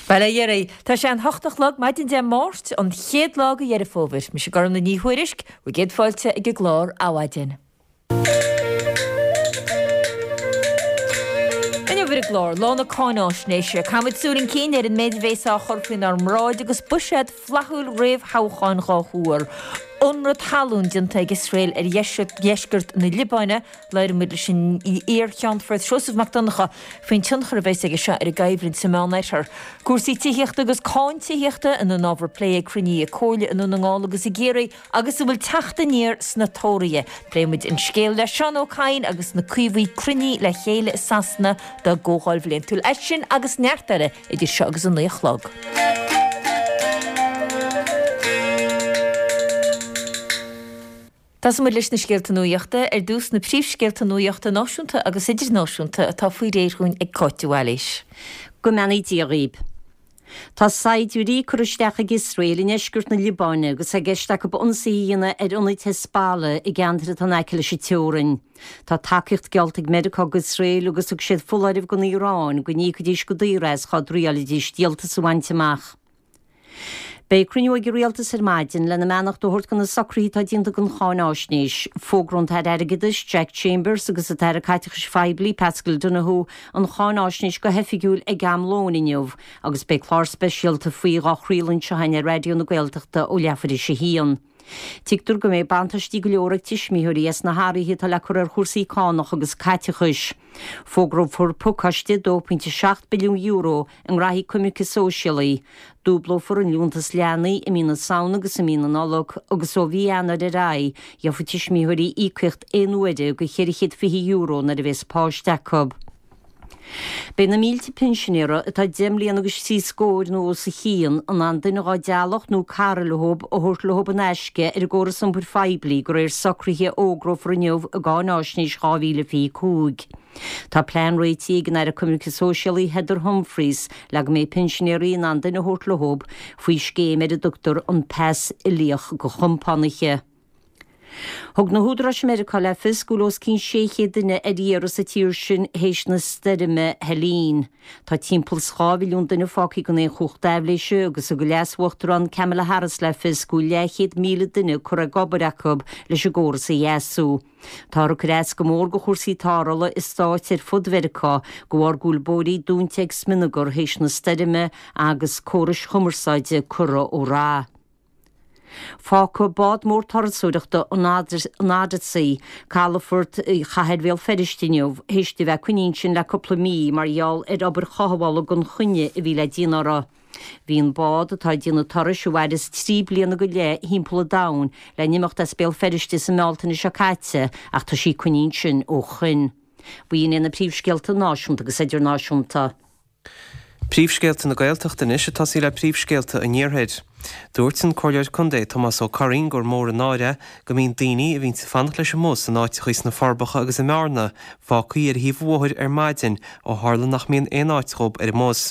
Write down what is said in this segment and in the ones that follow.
Bail ó Dhia oraibh. Tá sé an hocht a chlog maidin Dé Máirt, an chéad lá de Dheireadh Fómhair. Mise Gormlaith Ní Thuairisg, bhur gcéad fáilte ag an gclár Adhmhaidin. Inniu ar an gclár, Lá na Cáináisnéise, caithfimid súil chun cinn ar an méid a bhéas á chur faoinár mbráid agus buiséad flaithiúil réamhthoghcháin dhá thuar. Ionradh talún déanta ag Iosrael ar dheisceart na Liobáine, Labhróimid leis an iar-Cheannfort Seosamh Mac Donncha faoin tionchar a bheas aige seo ar an gcoimhlint sa Meánoirthear. Cúrsaí tithíochta agus cáin tithíochta ina n-ábhar plé ag cruinnithe comhairle i nDún na nGall agus i gCiarraí agus an bhfuil teacht aniar sna Tóraithe. Pléifimid an scéal le Seán Ó Cadhain agus na Caomhaigh cruinnithe le chéile i Sasana dá gcomhdháil bhliantúil. É sin agus neart eile idir seo agus a 9 a chlog. Tosóidh muid leis na scéalta nuachta. Ar dtús, na príomhscéalta nuachta náisiúnta agus idirnáisiúnta atá faoi réir dhúinn ag Cáit de Bhailís. Go mbeannaí Dia dhaoib. Tá saighdiúirí curtha isteach ag Iosrael i ndeisceart na Liobáine agus é i gceist acu ionsaithe a dhéanamh ar ionaid Hezbollah i gceantair atá in aice leis an teorainn. Tá tacaíocht geallta ag Meiriceá d'Iosrael agus thug siad foláireamh don Iaráin go n-íocfaidís go daor as dhá dtriáilfidís díoltas a bhaint amach. Beidh cruinniú ag an Rialtas ar maidin lena mbeannacht a thabhairt do na socruithe atá déanta don cháináisnéis. Fógróidh an tAire Airgeadais, Jack Chambers agus an tAire Caiteachais Phoiblí, Paschal Donohoe, an cháináisnéis go hoifigiúil ag am lóin inniu agus beidh clár speisialta faoi dhá chraoladh anseo againn ar Raidió na Gaeltachta ó leathuair théis a haon. Tuigtear go mbeidh buntáistí go leor ag tuismitheoirí as na hathruithe atá le cur ar chúrsaí cánach agus caiteachais. Fógrófar pacáiste €2.7 billiún i ngraithí coimirce sóisialaí. Dúblófar an liúntas leanaí i mí na Samhna agus i mí na Nollag agus ó mhí Eanáir ar aghaidh gheobhaidh tuismitheoirí íocaíocht aon uaire de €420 nuair a bhéas páiste acu. Beidh na mílte pinsinéara atá 10 mbliana agus trí scóir nó os a chionn in ann duine dhá dteaghlach nó cara leob a thabhairt leob in aisce ar an gcóras iompair phoiblí de réir socruithe a fhógrófar inniu i gCáináisnéis 2025. Tá plean réitithe ag an Aire Coimirce Sóisialaí Heather Humphreys le go mbeidh pinsinéaraí in ann duine a thabhairt leob faoi scéim ar a dtugtar an Pas Uilíoch do Chompánaithe. Thug na húdaráis i Meiriceá le fios go bhfuil os cionn 600 duine ar iarraidh sa tír sin théis na stoirme Helene. Tá timpeall 's 2 mhilliún duine fágtha gan aon chumhacht aibhléise agus thug an Leas-Uachtarán Kamala Harris le fios go bhfuil leathchéad 1,000 duine curtha ag obair acu leis an gcóras a dheasú. Táthar ag cur as go mór do chúrsaí tarrthála i stáit ar fud Mheiriceá de bharr go bhfuil bóithrí dúnta ag smionagar théis na stoirme agus córais chumarsáide curtha ó rath. Fágfaidh bád mór turasóireachta an Odyssey calafort chathair Bhéal Feirste inniu théis di bheith coinnithe ansin le cúpla mí mar gheall ar obair chothabhála gan choinne a bhí le déanamh uirthi. Bhí an bád, atá ag déanamh turais a mhaireas 3 bliana go leith thimpeall an domhain, le n-imeacht as Béal Feirste sa mBealtaine seo caite ach tá sí coinnithe ansin ó shoin. B'in iad na príomhscéalta náisiúnta agus idirnáisiúnta. Príomhscéalta na Gaeltachta anois ag tosaí le príomhscéalta an Iarthair. Dúirt an Comhairleoir Contae Tomás Ó Curraoin gur mór an náire é go mbíonn daoine a bhíonns ag fanacht leis an mbus in áiteachaí sna Forbacha agus i mBearna fágthaí ar thaobh an bhóthair ar maidin ó tharla nach mbíonn aon áit dhób ar an mbus.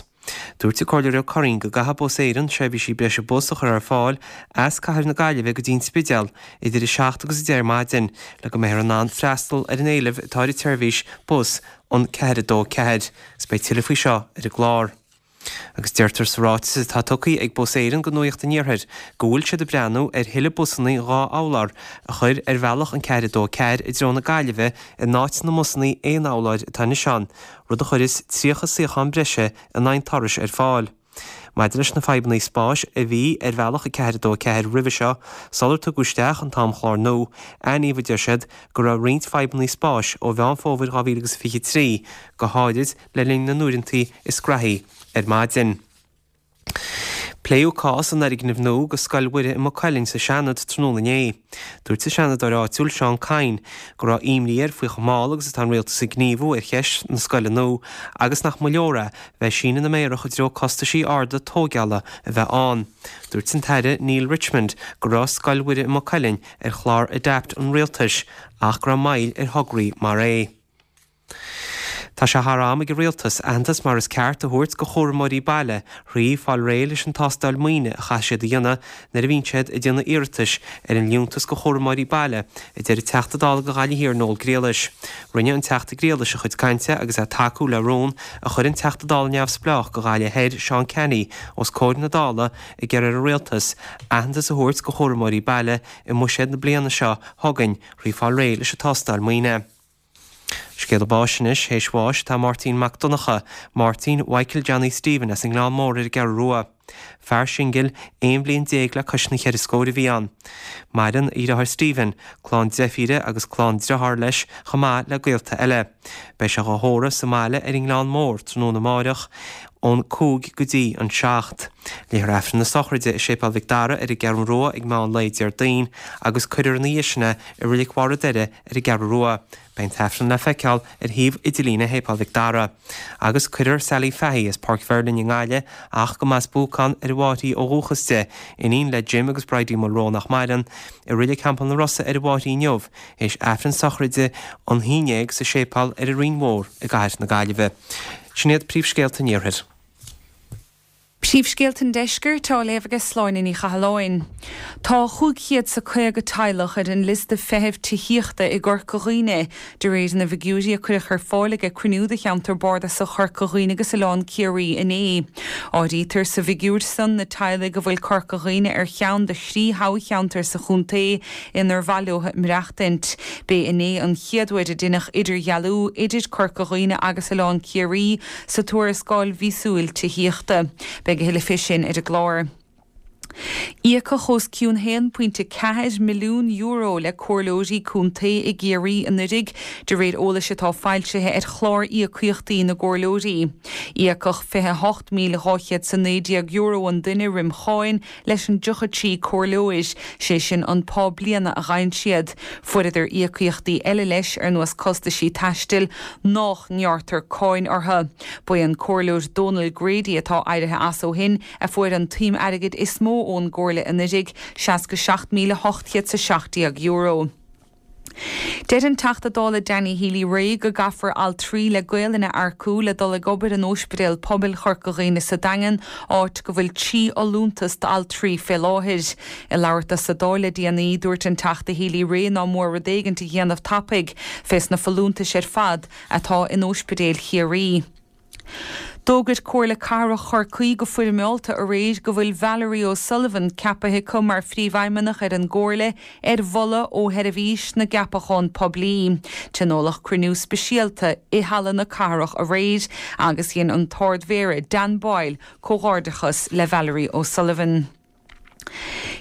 Dúirt an Comhairleoir Ó Curraoin go gcaithfidh Bus Éireann seirbhísí breise bus a chur ar fáil as cathair na Gaillimhe go dtí an Spidéal idir 7 agus 10 ar maidin le go mbeifear in ann freastal ar an éileamh atá ar an tseirbhís bus an 4 2 4 agus beidh tuilleadh faoi seo ar an gclár. Agus deirtear sa ráiteas atá tugtha ag Bus Éireann go Nuacht an Iarthair go bhfuil siad ag breathnú ar thuilleadh busanna 2 urlár a chur ar bhealach an 4 2 4 i dtreo na Gaillimhe in áit na mbusanna aon urláir atá anois ann, rud a chuirfeas 30 suíochán breise in aghaidh an turais ar fáil. Maidir leis na fadhbanna spáis a bhí ar bhealach 4 2 4 roimhe seo, sular tugadh isteach an t-amchlár nua, aithníodh, a deir siad, go raibh roinnt fadhbanna spáis ó Mheán Fómhair 2023, go háirid le linn na n-uaireanta is graithí ar maidin. Pléadh cás an fhoirgnimh nua do Scoil Mhuire i Maigh Cuilinn sa Seanad tráthnóna inné. Dúirt an Seanadóir áitiúil Seán Kyne go raibh imní air faoi chomh mall agus atá an rialtas ag gníomhú ar cheist na scoile nua agus nach mba leor é bheith ag síneadh na méarach i dtreo costaisí arda tóigeála a bheith ann. Dúirt an tAire Neale Richmond go raibh Scoil Mhuire i Maigh Cuilinn ar chlár Adapt an rialtais ach go raibh moill ar thograí mar é. Tá sé thar am ag an Rialtas aitheantas mar is ceart a thabhairt go chúramóirí baile thrí fáil réidh leis an tástáil maoine a chaithfidh siad a dhéanamh nuair a bhíonn siad ag déanamh iarratais ar an Liúntas go Chúramóirí Baile, a deir an Teachta Dála go Ghaillimh Thiar Noel Griallais. Rinne an Teachta Griallais a chuid cainte agus é ag tacú le rún a chuir an Teachta Dála Neamhspleách go Ghaillimh Thoir Seán Canney os comhair na Dála ag iarraidh ar an Rialtas aitheantas a thabhairt go chúramóirí baile i mbuiséad na bliana seo chugainn thrí fáil réidh leis an tástáil maoine. Scéala báis anois, théis bháis atá Máirtín Mac Donncha, Máirtín Mhichael Johnny Stephen as an nGleann Mór ar an gCeathrú Rua. Fear singil, 11 bhliain le cois na cheithre scóir a bhí ann. Maireann a dheartháir Stephen, clann deirfíre agus clann driotháir leis chomh maith le gaolta eile. Beidh sé dhá thórramh sa mbaile ar an nGleann Mór tráthnóna amáireach ón 5 go dtí an 7. Léifear Aifreann na sochraide i Séipéal Mhic Dara ar an gCeathrú Rua ag meán lae Déardaoin agus cuirfear ina dhiaidh sin é i Reilig Bharr an Doire ar an gCeathrú Rua. Beidh an t-aifreann le feiceáil ar shuíomh idirlíne Shéipéal Mhic Dara. Agus cuirfear Sally Fahy as Páirc Mheirlin i nGaillimh, ach go mb'as Buacán ar an Mháthair í ó dhúchas di, iníon le Jim agus Bridie Mulroe nach maireann, i Reilig Theampall na Rosa ar an Mháthair í inniu, théis aifreann sochraide an haon dhéag sa séipéal ar an Rinn Mhór i gcathair na Gaillimhe. Sin iad príomhscéalta an Iarthair. Príomhscéalta an Deiscirt á léamh aige Sláine Ní Chathalláin. Tá 500 's a 50 teaghlach ar an liosta feithimh tithíochta i gCorca Dhuibhne, de réir na bhfigiúirí a cuireadh ar fáil ag cruinniú de cheantar bardasach Chorca Dhuibhne agus Oileán Ciarraí inné. Áirítear sa bhfigiúr san na teaghlaigh a bhfuil Corca Dhuibhne ar cheann de thrí thoghcheantar sa chontae inar mhaith leo maireachtaint. B'é inné an chéad uair a deineadh idirdhealú idir Corca Dhuibhne agus Oileán Ciarraí sa tuarascáil mhíosúil tithíochta. Beidh a thuilleadh fé sin ar an gclár. Íocadh os cionn €1.4 milliún le comhairleoirí contae i gCiarraí anuiridh, de réir eolais atá foilsithe ar chlár íocaíochtaí na gcomhairleoirí. Íocadh €28,219 an duine roim cháin leis an 33 comhairleoir, sé sin an pá bliana a fhaigheann siad. Fuaireadar íocaíochtaí eile leis, ar nós costaisí taistil, nách ngearrtar cáin orthu. Ba é an Comhairleoir Dónal Grady, atá éirithe as ó shin, a fuair an tsuim airgid is mó ón gComhairle anuiridh, €67,817. Deir an Teachta Dála Danny Healy-Rae go gcaithfear altraí le Gaolainn a earcú le dul ag obair in Óispidéal Pobail Chorca Dhuibhne sa Daingean, áit go bhfuil 3 fholúntas d'altraí fé láthair. Ag labhairt dó sa Dáil le déanaí, dúirt an Teachta Healy-Rae ná mór rud éigint a dhéanamh tapaidh fés na folúntais ar fad atá in óispidéil Chiarraí. D'fhógair Comhairle Cathrach Chorcaí go foirmeálta aréir go bhfuil Valerie O'Sullivan ceapaithe acu mar Phríomhfheidhmeannach ar an gComhairle ar mholadh ó Sheirbhís na gCeapachán Poiblí. Tionóladh cruinniú speisialta i Halla na Cathrach aréir agus dhein an tArd-Mhéara Dan Boyle comhghairdeachas le Valerie O'Sullivan.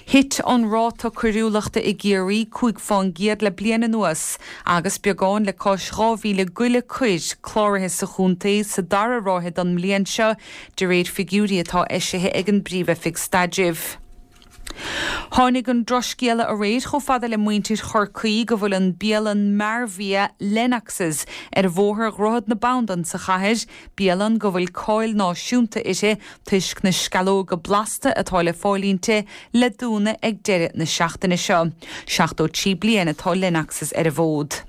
Thit an ráta coiriúlachta i gCiarraí 5 fán gcéad le bliain anuas agus beagán le cois 2,000 goile coir cláraithe sa chontae sa dara ráithe den mbliain seo, de réir figiúirí atá eisithe ag an bPríomh-Oifig Staidrimh. Tháinig an drochscéala aréir chomh fada le muintir Chorcaí go bhfuil an bialann mearbhia Lennox's ar Bhóthar Dhroichead na Bandan sa chathair, bialann go bhfuil cáil náisiúnta uirthi toisc na sceallóga blasta atá le fáil inti, le dúnadh ag deireadh na seachtaine seo. 73 bliain atá Lennox's ar an bhfód.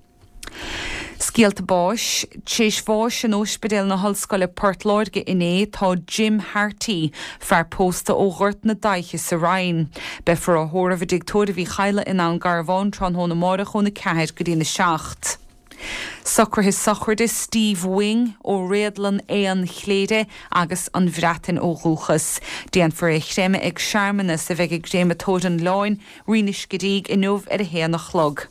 Scéalta báis. Tréis bháis in Óispidéal na hOllscoile Port Láirge inné tá Jim Harty, fear pósta ó Ghort na Daiche sa Rinn. Beifear á thórramh i dTigh Tórraimh Uí Chadhla i nDún Garbhán tráthnóna amáireach óna 4 go dtína 7. Socruithe sochraide Steve Wing ó Réadlann Éan Chléire agus an Bhreatain ó dhúchas. Déanfar é a chreimeadh ag searmanas a bheidh i gCréamatóir an Oileáin, Rinn Uisce Rígh inniu ar a haon a chlog.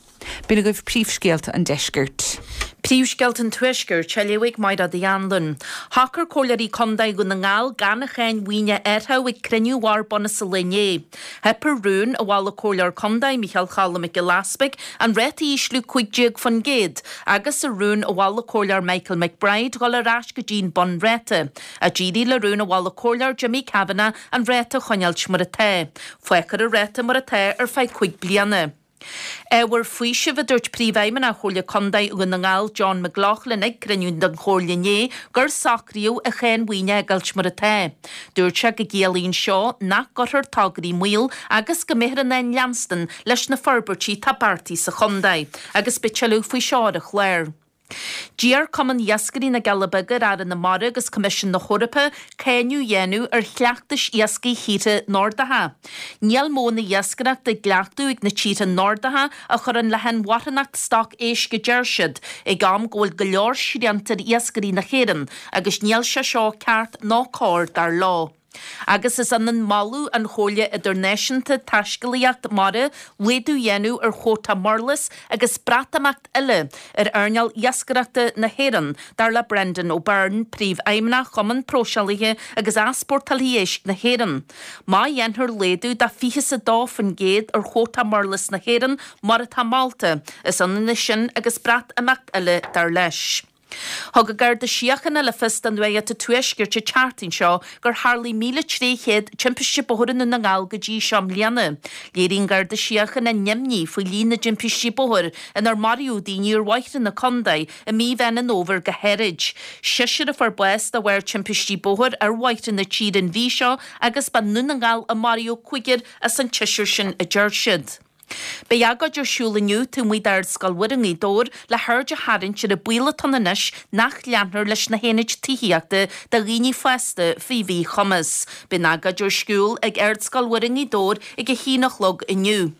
B'in agaibh príomhscéalta an deiscirt. Príomhscéalta an Tuaiscirt á léamh ag Mairéad Uí Anluain. Shocair Comhairleoirí Contae Dhún na nGall gan an cháin mhaoine a athrú ag cruinniú Bhord Bhunaidh sa lae inné. Theip ar rún a mhol an Comhairleoir Contae, Micheál Choilm Mac Giolla Easpaig, an ráta a ísliú 15% agus ar rún a mhol an Comhairleoir Michael McBride dhul ar ais go dtí'n bunráta. D'éirigh le rún a mhol an Comhairleoir Jimmy Kavanagh an ráta a choinneáilt mar atá. Fágfar an ráta mar atá ar feadh 5 bliana. Ábhar faoisimh, a dúirt Príomhfheidhmeannach Chomhairle Contae Dhún na nGall John McLaughlin ag cruinniú den Chomhairle inné gur socraíodh an cháin mhaoine a fhágáilt mar atá. Dúirt sé go gciallaíonn seo nach gcuirfear tograí i mbaol agus go mbeifear in ann leanstan leis na forbairtí atá beartaithe sa chontae agus beidh tuilleadh faoi seo ar an chlár. D'iarr Cumann Iascairí na gCealla Beaga ar Aire na Mara agus Coimisiún na hEorpa cáineadh a dhéanamh ar chleachtais iascaigh thíortha Nordacha. Níl modhanna iascaireachta á gcleachtadh ag na tíortha Nordacha a chuireann le hinmharthanacht stoc éisc a deir siad, ag am go bhfuil go leor srianta ar iascairí na hÉireann agus níl sé seo ceart ná cóir dar leo. Agus is ionann moladh an Chomhairle Idirnáisiúnta Taiscéalaíocht Mara laghdú a dhéanamh ar chuóta murlas agus Breatimeacht eile ar earnáil iascaireachta na hÉireann, dar le Brendan O'Byrne, Príomhfheidhmeannach Chumann Próiseálaithe agus Easpórtálaithe Éisc na hÉireann. Má dhéanfar laghdú de 22% ar chuóta murlas na hÉireann mar atá molta, is ionann é sin agus Breatimeacht eile, dar leis. Thug an Garda Síochána le fios do Nuacht an Tuaiscirt an tseachtain seo gur tharlaigh 1,300 timpiste bóthair i nDún na nGall go dtí seo i mbliana. Léirigh an Garda Síochána a n-imní faoi líon na dtimpistí bóthair inar maraíodh daoine ar bhóithre na contae i mí Mheán an Fhómhair go háirid. Seisear a fuair bás de bharr timpistí bóthair ar bhóithre na tíre an mhí seo agus ba i nDún na nGall a maraíodh cúigear as an tseisear sin, a deir siad. Beidh agóid ar siúl inniu taobh amuigh d'Ardscoil Mhuire i nGaoth Dobhair le haird a tharraingt ar an baol atá ann anois nach leanfar leis na haonaid tithíochta do dhaoine fásta faoi mhíchumas. Beidh an agóid ar siúl ag Ardscoil Mhuire i nGaoth Dobhair ag a haon a chlog inniu.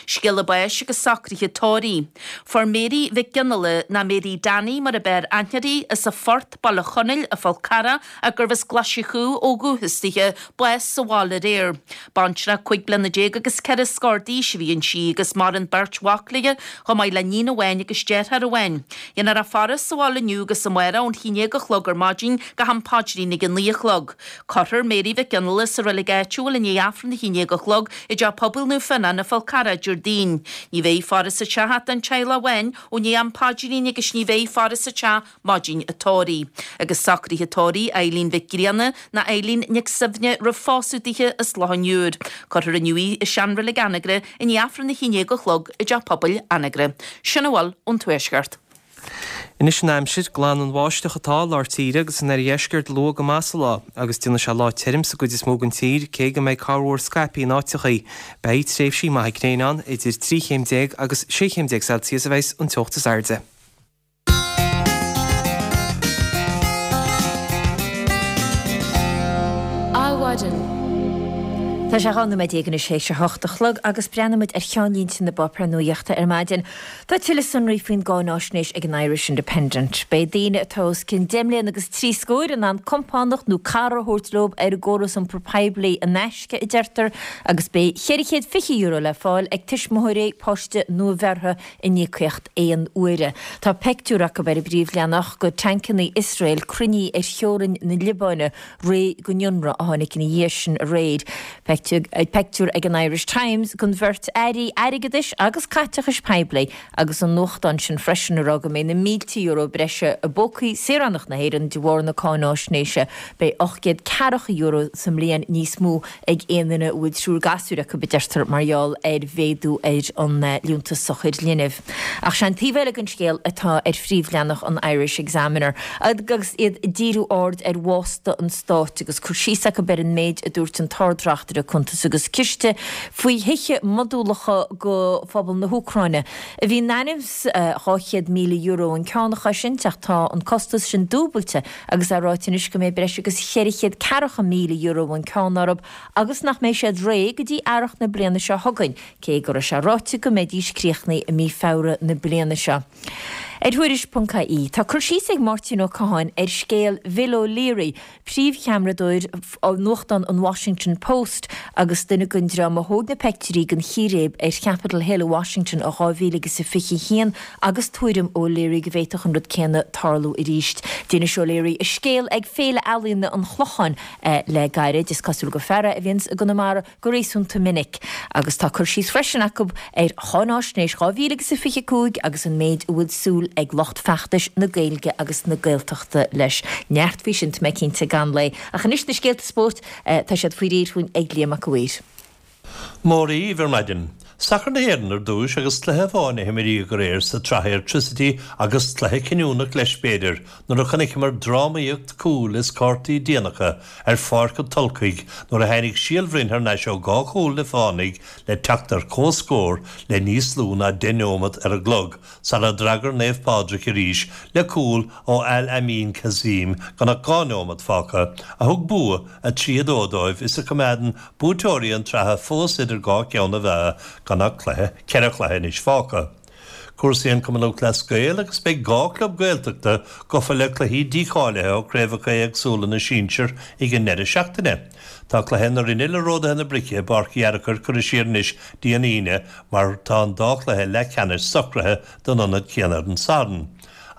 Scéala báis agus socruithe tórraimh. Fuair Mary Mhic Fhionnghaile, nó Mary Danny mar a b'fhearr aithne uirthi, as an Phort, Baile Chonaill, an Fál Carrach, ach gurbh as Glaise Chú ó dhúchas dithe, bás sa bhaile aréir. Baintreach 15 bliana agus ceithre scór d'aois a bhí inti agus maireann beirt mhac léi, chomh maith le níon amháin agus deartháir amháin. Déanfar a faire sa bhaile inniu agus amárach ón 11 a chlog ar maidin go ham paidrín ag a 9 a chlog. Cuirfear Mary Mhic Fhionnghaile sa reilig áitiúil i ndiaidh Aifreann a 11 a chlog i dTeach Pobail Naomh Fionán, an Fál Carrach, Déardaoin. Ní bheidh faire sa teach ach don teaghlach amháin ó ndiaidh am paidrín agus ní bheidh faire sa teach maidin an tórraimh. Agus socruithe tórraimh Eileen Mhic Grianna ná Eileen Nic Suibhne roimh phósadh dithe as Loch an Iúir. Cuirfear inniu í i seanreilig Anagaire i ndiaidh Aifreann a 11 a chlog i dTeach Pobail Anagaire. Sin a bhfuil ón Tuaisceart. Anois an aimsir, glan an bháisteach atá i lár tíre agus san oirdheisceart luath go maith sa lá, agus déanfaidh sé lá tirim sa gcuid is mó den tír, cé go mbeidh corrmhúr scaipthe in áiteachaí. Beidh tréimhsí maithe gréine ann, idir 13 chéim agus 16 chéim Celsius a bheas an teocht is airde. Adhmhaidin. Tá sé 12 nóiméad anois théis a hocht a chlog agus breathnaímid ar cheannlínte na bpáipéar nuachta ar maidin. Tá tuilleadh sonraí faoin gcáináisnéis ag an Irish Independent. Beidh daoine atá os cionn deich mbliana agus trí scóir in ann compánach nó cara a thabhairt leo ar an gcóras iompair poiblí in aisce, a deirtear, agus beidh €420 le fáil ag tuismitheoirí páiste nuabheirthe in íocaíocht aon uaire. Tá peictiúr acu ar an bpríomhleathanach de tancannaí Iosrael cruinnithe ar theorainn na Liobáine réidh don ionradh a tháinig ina dhiaidh sin aréir. Peictiúr ag an Irish Times den bheirt airí airgeadais agus caiteachais poiblí agus an nuachtán sin freisin ag rá go mbeidh na mílte euro breise i bpócaí saoránach na hÉireann de bharr na cáináisnéise. Beidh €840 sa mbliain níos mó ag aon duine a bhfuil triúr gasúir acu, a deirtear, mar gheall ar mhéadú ar an Liúntas Sochair Linbh. Ach sé an taobh eile den scéal atá ar phríomhleathanach an Irish Examiner, agus iad ag díriú aird ar bhásta an stáit agus cur síos acu ar an méid a dúirt an tArd-Reachtaire Cuntas agus Ciste faoi thithe modúlacha do phobal na hÚcráine, a bhí in ainm is €200,000 an ceann a chosaint, ach tá an costas sin dúbailte agus é ráite anois go mbeidh breis agus €440,000 an ceann orthu agus nach mbeidh siad réidh go dtí earrach na bliana seo chugainn, cé go raibh sé ráite go mbeidís críochnaithe i mí Feabhra na bliana seo. Ar Thuairisc.ie, tá cur síos ag Máirtín Ó Catháin ar scéal Bhill O'Leary, príomhcheamaradóir nuachtán an Washington Post agus duine den dream a thóg na peictiúirí den chíréib ar Chapitol Hill i Washington i 2021 agus tuairim O'Leary go bhféadfadh an rud céanna tarlú arís. D'inis O'Leary a scéal ag Féile Ealaíona an Chlocháin le gairid. Is cosúil gur fear é a bhíonns i gConamara go réasúnta minic. Agus tá cur síos freisin acu ar Cháináisnéis 2025 agus an méid a bhfuil súil ag lucht feachtais na Gaeilge agus na Gaeltachta leis. Neart faoi sin, tá mé cinnte, i gceann lae. Ach anois na scéalta spóirt, tá siad faoi réir chugainn ag Liam Mac a' Mhaoir. Mora dhaoibh ar maidin. Sacar na hÉireann ar dtúis agus cluiche amháin a himríodh aréir sa tsraith Airtricity agus cluiche cinniúnach leis b'fhéidir nuair a chonaiceamar drámaíocht cúil is cártaí déanacha ar Pháirc an Tulcaigh nuair a tháinig Síol Bhroin thar n-ais ó dhá chúl na Fánaigh le teacht ar comhscór le níos lú ná 10 neomat ar an gclog sara d'fhreagair Naomh Pádraig arís le cúl ó Al Amin Kazim gan ach 2 neomat fágtha a thug bua 3, 2 dóibh is a choimeádann buaiteoirí an tsraithe fós idir dhá cheann na meá gan ach cluiche, ceithre chluiche anois fágtha. Cúrsaí an Chumann Lúthchleas Gael agus beidh 2 chlub Gaeltachta gafa le cluichí dícháilithe ó chraobhacha éagsúla na sinsear ag an ndeireadh seachtaine. Tá cluiche na Rinne le Ródaithe na Brice i bPáirc Uí Fhearchair curtha siar anois dtí an Aoine mar tá an dá chluiche leathcheannais socraithe don ionad céanna ar an Satharn.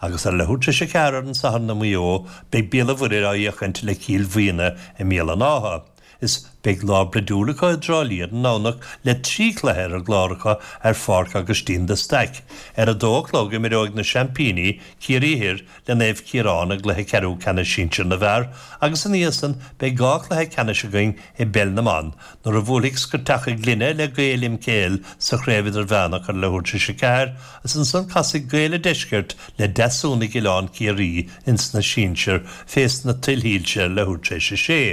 Agus ar leathuair tar éis a ceathair ar an Satharn i Maigh Eo beidh Béal an Mhuirthead á fhéachaint le Cill Mhaona i mBéal an Átha. Is beidh lá broidiúil acu i dTrá Lí ar an nDomhnach le 3 chluiche ar an gclár acu ar Pháirc Aibhistín de Staic. Ar a dó a chlog imreoidh na seaimpíní, Ciarraí Thoir, le Naomh Ciarán i gcluiche ceathrú ceannais sinsir na bhfear agus ina dhiaidh san beidh 2 chluiche ceannais againn i bpeil na mban nuair a bhuailfidh Scoirteacha Glinne le Gaeil MKL sa chraobh idirmheánach ar leathuair tar éis a ceathair agus ansan casfaidh Gaeil an Deiscirt le Deasúnaigh Oileán Ciarraí ins na sinsir fés na tuilshoilse ar leathuair tar éis a sé.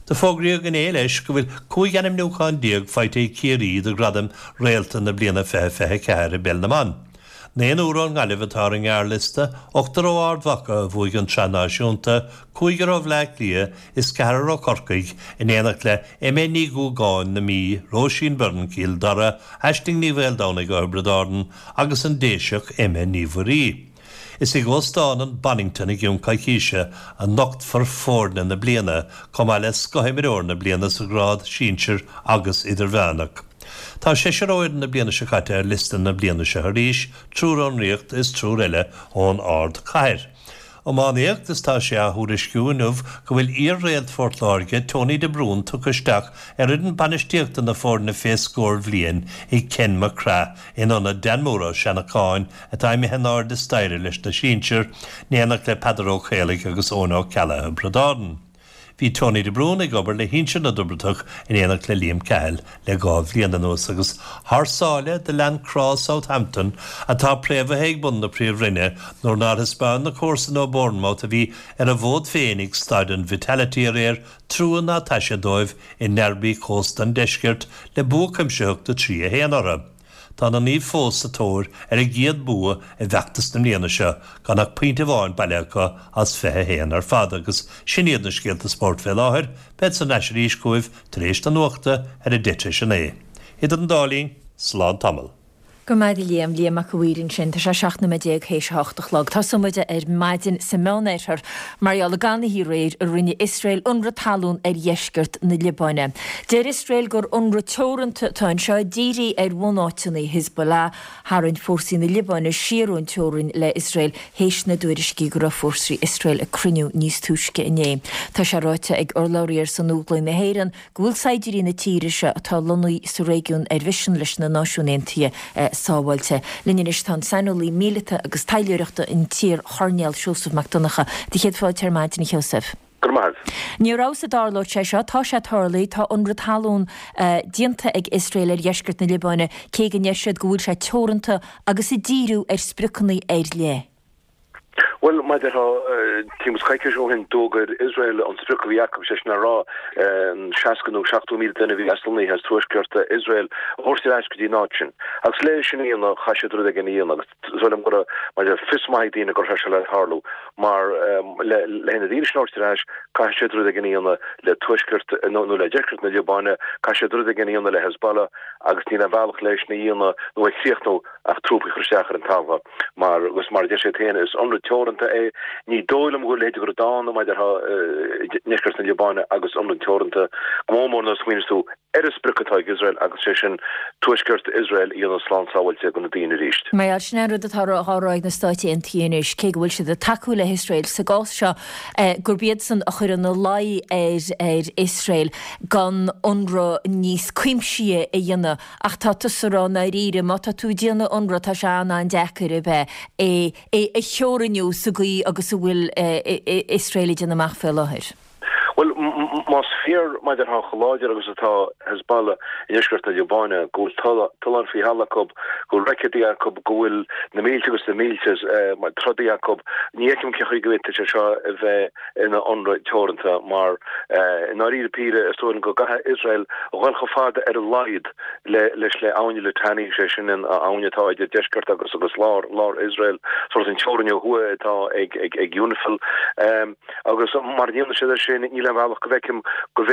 Do fógraíodh inné leis go bhfuil 15 ainmniúchán faighte ag Ciarraí do ghradaim Réalta na bliana 2024 i bPeil na mBan. Naonúr ón nGaillimh atá ar an ngearrliosta, ochtar ó Ard Mhacha a bhuaigh an tSraith Náisiúnta, cúigear ó Bhleá Cliath is ceathrar ó Chorcaigh, in éineacht le Emma Ní Dhúgáin na Mí, Róisín Byrne Chill Dara, Aisling Ní Mhaoldomhnaigh ó Thiobraid Árann agus an Déiseach Emma Ní Mhuirí. Is ag Óstán an Bonnington i gcionn coicíse a nochtfar foirne na bliana, chomh maith le scothimreoir na bliana sa ghrád sinsir agus idirmheánach. Tá seisear ó fhoireann na bliana seo caite ar liosta na bliana seo arís, triúr ón Ríocht is triúr eile ón ardchathair. Iománaíocht Is tá sé á thuairisciú inniu go bhfuil iar-réalt Phort Láirge, Tony de Brún tugtha isteach ar fhoireann bainistíochta na foirne fé scór bhliain ag Ken McCraith in ionad Dan Moore Ó Seanacháin atá imithe in airde staighre leis na sinsir, in éineacht le Peadar Ó Caollaigh agus Eoin Ó Ceallaigh Thiobraid Árann. Bhí Tony de Brún ag obair le shinsir na dTiobradach in éineacht le Liam Cahill le 2 bhliain anuas agus thar sáile do lean crá Southampton atá préamhaithe ag bun na Príomhroinne nuair nár thaispeáin na comharsana ó Bournemouth a bhí ar a bhfód féin ag Staid an Vitality aréir trua ná taise dóibh i ndearbaí chósta an deiscirt le bua cuimsitheach de 3-1 orthu. Tá na Naoimh fós sa tóir ar a gcéad bua i bhfeachtas na mbliana seo, gan ach pointe amháin bailithe acu as 21 ar fad agus sin iad na scéalta spóirt fé láthair, bead thar n-ais arís chugaibh tar éis na nuachta ar a deich tar éis a naoi. Idir an dá linn, slán tamall. Go raibh maith agat a Liam, Liam Mac a' Mhaoir ansin. Tá sé 17 nóiméad théis a hocht a chlog. Tosóidh muid ar maidin sa Meánoirthear mar gheall ar gannathaí aréir a rinne Iosrael ionradh talún ar dheisceart na Liobáine. Deir Iosrael gur ionradh teoranta atá anseo, dírithe ar bhunáiteanna Hezbollah. Tharraing fórsaí na Liobáine siar ón teorainn le Iosrael théis na dtuairiscí go raibh fórsaí Iosrael ag cruinniú níos túisce inné. Tá sé ráite ag urlabhraí ar son Óglaigh na hÉireann go bhfuil saighdiúirí na tíre seo atá lonnaithe sa réigiún ar mhisean leis na Náisiúin Aontaithe sábháilte. Linn anois tá an saineolaí míleata agus taidhleoireachta an t-iar-Choirnéal Seosamh Mac Donncha. Do chéad fáilte ar maidin, a Sheosaimh. Go raibh maith agat. Ní rabhas a dtarlódh sé seo. Tá sé tarlaithe. Tá ionradh talún déanta ag Iosrael ar dheisceart na Liobáine, cé go ndeir siad go bhfuil sé teoranta agus ag díriú ar spriocanna ar leith. Bhuel, mar a déarfá, timpeall is coicís ó shin, d'fhógair Iosrael an sprioc a bhí acu, sé sin le rá, an 60 nó 70,000 duine a bhí aslonnaithe as tuaisceart Iosrael a thabhairt ar ais go dtí an áit sin. Agus le sin a dhéanamh, chaith siad rud éigin a dhéanamh. Agus is dóigh liom go raibh, mar a déarfá, fios maith ag daoine go raibh sé seo le tarlú. Mar le na daoine sin a thabhairt ar ais, caithfidh siad rud éigin a dhéanamh le tuaisceart, nó le deisceart na Liobáine, caithfidh siad rud éigin a dhéanamh le Hezbollah, agus níl aon bhealach le sin a dhéanamh nó a chríochnú ach trúpaí a chur isteach ar an talamh mar, agus mar a deir siad féin, is ionradh teoranta é. Ní dóigh liom go bhfuil a leithéid de rud ann, mar a déarfá, i ndeisceart na Liobáine agus ionradh teoranta, go mór mór nuair a smaoiníos tú ar an sprioc atá ag Iosrael agus sé sin tuaisceart Iosrael a dhéanamh slán sábháilte do na daoine arís. Mar sin é an rud atá á rá ag na Stáit Aontaithe anois, cé go bhfuil siad ag tacú le hIosrael sa gcás seo, gurb iadsan a chuir ina luí ar ar Iosrael gan ionradh níos cuimsithí a dhéanamh. Ach tá tusa ag rá i ndáiríre, má tá tú ag déanamh ionradh, tá sé an-an-deacair ab ea é é a theorannú sa gcaoi agus a bhfuil Iosrael ag déanamh amach fé láthair. Bhuel, Más fíor, mar a déarfá, chomh láidir agus atá Hezbollah i ndeisceart na Liobáine, go bhfuil tolláin faoi thalamh acu, go bhfuil roicéadaí acu, go bhfuil na mílte agus na mílte trodaí acu, ní fheicim cén chaoi go bhféadfadh sé seo a bheith ina ionradh teoranta mar, i ndáiríre píre, is dóigh liom go gcaithfidh Iosrael a dhul chomh fada ar a laghad leis le Abhainn Litani, sé sin an abhainn atá idir deisceart agus agus lár lár Iosrael, sórt an teorainn ó thuaidh atá ag ag UNIFIL. Agus mara ndéanann siad é sin, níl aon bhealach go bhfeicim go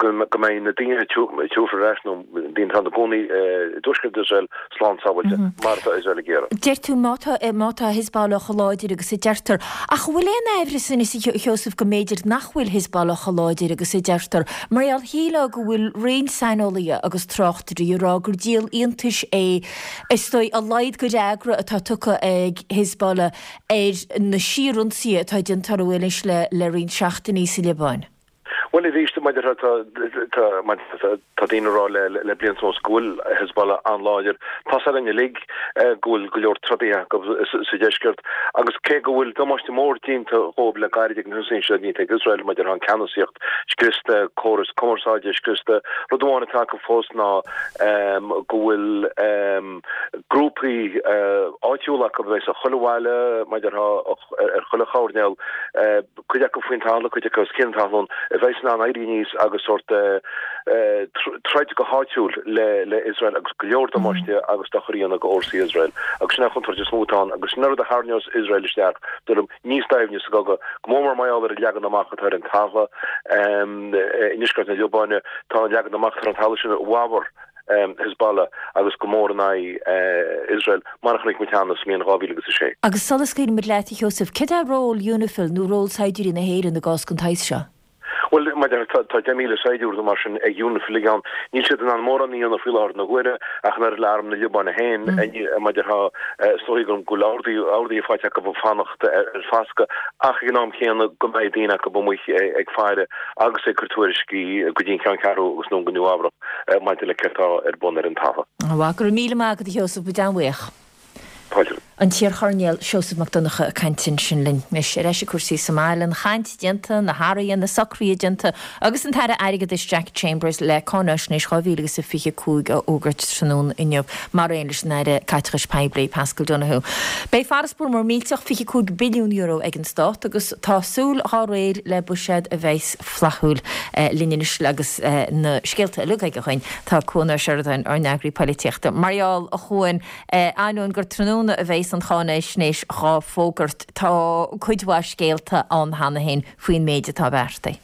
go mbeidh na daoine a tabharfar ar ais, nó daoine atá ina gcónaí i dtuaisceart Iosrael, slán sábháilte, mar atá Iosrael ag iarraidh. Deir tú má tá má tá Hezbollah chomh láidir agus a deirtear. Ach an bhfuil aon aimhreas anois, a Sheosaimh, go mb'fhéidir nach bhfuil Hezbollah chomh láidir agus a deirtear? Mar gheall, shílfeá go bhfuil roinnt saineolaithe agus tráchtairí ag rá gur díol iontais é, is dóigh, a laghad de fhreagra atá tugtha ag Hezbollah ar na síorionsaithe atá déanta orthu anois le roinnt seachtainí sa Liobáin. Bhuel, arís, mar a déarfá, tá, tá daoine ag rá le blianta anuas go bhfuil Hezbollah an-láidir. Tá's againn uilig go bhfuil go leor trodaithe acu sa deisceart agus cé go bhfuil damáiste mór déanta dhóibh le gairid ag na hionsaithe seo déanta ag Iosrael, mar a déarfá, an ceannasaíocht scriosta, córas cumarsáide scriosta, rud amháin atá acu fós ná go bhfuil grúpaí áitiúla acu a bheas i chuile bhaile, mar a déarfá, ar chuile choirnéal, cuid acu faoin talamh, cuid acu os cionn talún, a bheas in ann éirí aníos agus sórt troid go háitiúil le Iosrael agus go leor damáiste agus dochar a dhéanamh go fhórsaí Iosrael. Agus sin an chontúirt is mó atá ann agus sin an rud a tharraingeos Iosrael isteach, dóigh liom, níos doimhne sa gcogadh, go mór mór mar gheall ar an leagan amach atá ar an talamh i ndeisceart na Liobáine. Tá an leagan amach atá ar an talamh sin i bhfabhar Hezbollah agus go mór in aghaidh Iosrael, mar a chonaic muid cheana sa mbliain 2006. Agus sula scaoilfidh muid leat, a Sheosaimh, céard é ról Unifil nó ról saighdiúirí na hÉireann i gcás den tsaghas seo? Bhuel, mar a déarfá, tá 10,000 saighdiúir nó mar sin ag Unifil ag ann. Níl siad in ann mórán a dhéanamh faoi láthair na huaire, ach an oiread le arm na Liobáine féin, mar a déarfá, is dóigh go bhfuil orduithe faighte acu fanacht ar foscadh, ach ag an am chéanna go mbeidh daoine acu amuigh ag faire agus ag cur tuairiscí go dtí an Ceanncheathrú agus anonn go Nua Eabhrac maidir le céard atá ar bun ar an talamh. Go raibh míle maith agat a Sheosaimh, muid an-bhuíoch. Fáilte. An t-iarchoirnéal Seosamh Mac Donncha ag caint ansin linn. Anois, ar ais ag cúrsaí sa mbaile, an chaint déanta, na hathruithe, na socruithe déanta agus an tAire Airgeadais Jack Chambers le Cáinaisnéis 2025 a fhógairt tráthnóna inniu, mar aon leis an Aire Caiteachais Poiblí, Paschal Donohoe. Beidh farasbarr mór millteach €25 billiún ag an Stát agus tá súil dhá réir le buiséad a bheas flaithiúil. Linn anois agus na scéalta uilig aige againn tá Cuan Ó Seireadáin, ár n-eagraí polaitíochta. Mar gheall, a Chuain, Ainneoin gur tráthnóna a bheas an cháinaisnéis dhá fógairt, tá cuid mhaith scéalta ann cheana féin faoin méid atá beartaithe.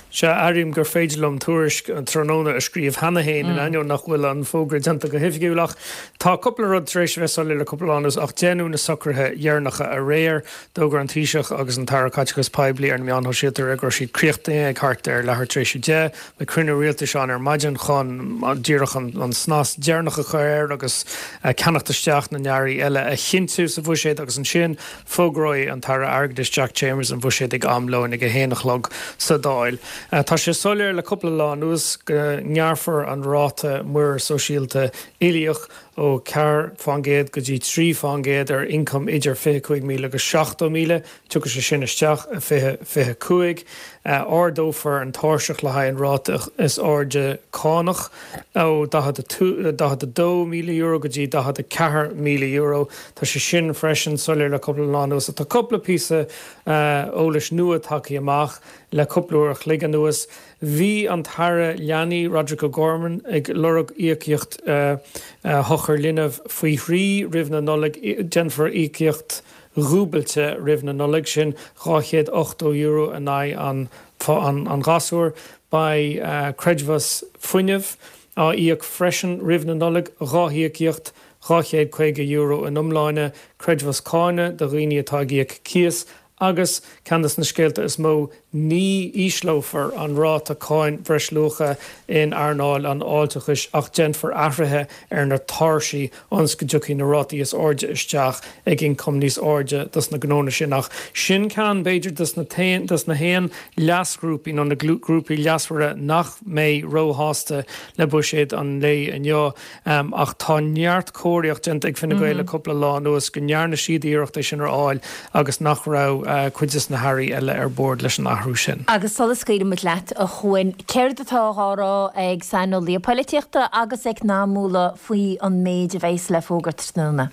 Sea, airím gur féidir liom tuairisc tráthnóna a scríobh cheana féin, in ainneoin nach bhfuil an fógra déanta go hoifigiúil. Ach tá cúpla rud tar éis a bheith soiléir le cúpla lá anuas, ach déanadh na socruithe dheireanacha aréir. D'fhógair an Taoiseach agus an tAire Caiteachais Poiblí ar na meáin shóisialta aréir go raibh siad críochnaithe ag thart ar leathuair tar éis a deich. Beidh cruinniú rialtais ann ar maidin chun díreach an snas deireanach a chur air agus ceannacht isteach na n-earraí eile a chinntiú sa bhuiséad agus ansin fógróidh an tAire Airgeadais Jack Chambers an buiséad ag am lóin ag 1 a chlog sa Dáil. Tá sé soiléir le cúpla lá anuas go ngearrfar an ráta muirear sóisialta uilíoch ó 4 fán gcéad go dtí 3 fán gcéad ar ioncam idir 25,000 agus 70,000. Tiocfaidh sé sin isteach i 2025. Ardófar an tairseach le haghaidh an ráta is airde cánach ó €42,000 go dtí €44,000. Tá sé sin freisin soiléir le cúpla lá anuas. Tá cúpla píosa eolais nua tagtha amach le cúpla uair a chloig anuas. Bhí an tAire Leanaí, Roderic O'Gorman, ag lorg íocaíocht shochar linbh faoi thrí roimh na Nollag. Déanfar íocaíocht dhúbailte roimh na Nollag, sin €280 in aghaidh an ghasúir. Beidh creidmheas fuinnimh á íoc freisin roimh na Nollag, dhá híocaíocht, €250 in iomláine, creidmheas cáine do dhaoine atá ag íoc cíos agus, ceann de na scéalta is mó, ní ísleofar an ráta cáin bhreisluacha in earnáil an fháilteachais ach déanfar athruithe ar na tairsí ionas go dtiocfaidh na rátaí is airde isteach ag ioncam níos airde dos na gnónna sin. Ach sin ceann, b'fhéidir, dos na dos na haon leasghrúpaí nó na grúpaí leasmhara nach mbeidh róshásta le buiséad an lae inniu. Ach tá neart comharthaíocht déanta ag Fine Gael le cúpla lá anuas go ndearna siad iarracht é sin a fháil agus nach raibh cuid des na hairí eile ar bord leis an athrú. athrú sin. Agus sula scaoilimid leat, a Chuain, céard atá á rá ag saineolaithe poilitíochta agus eacnamúla faoi an méid a bheas le fógairt tráthnóna?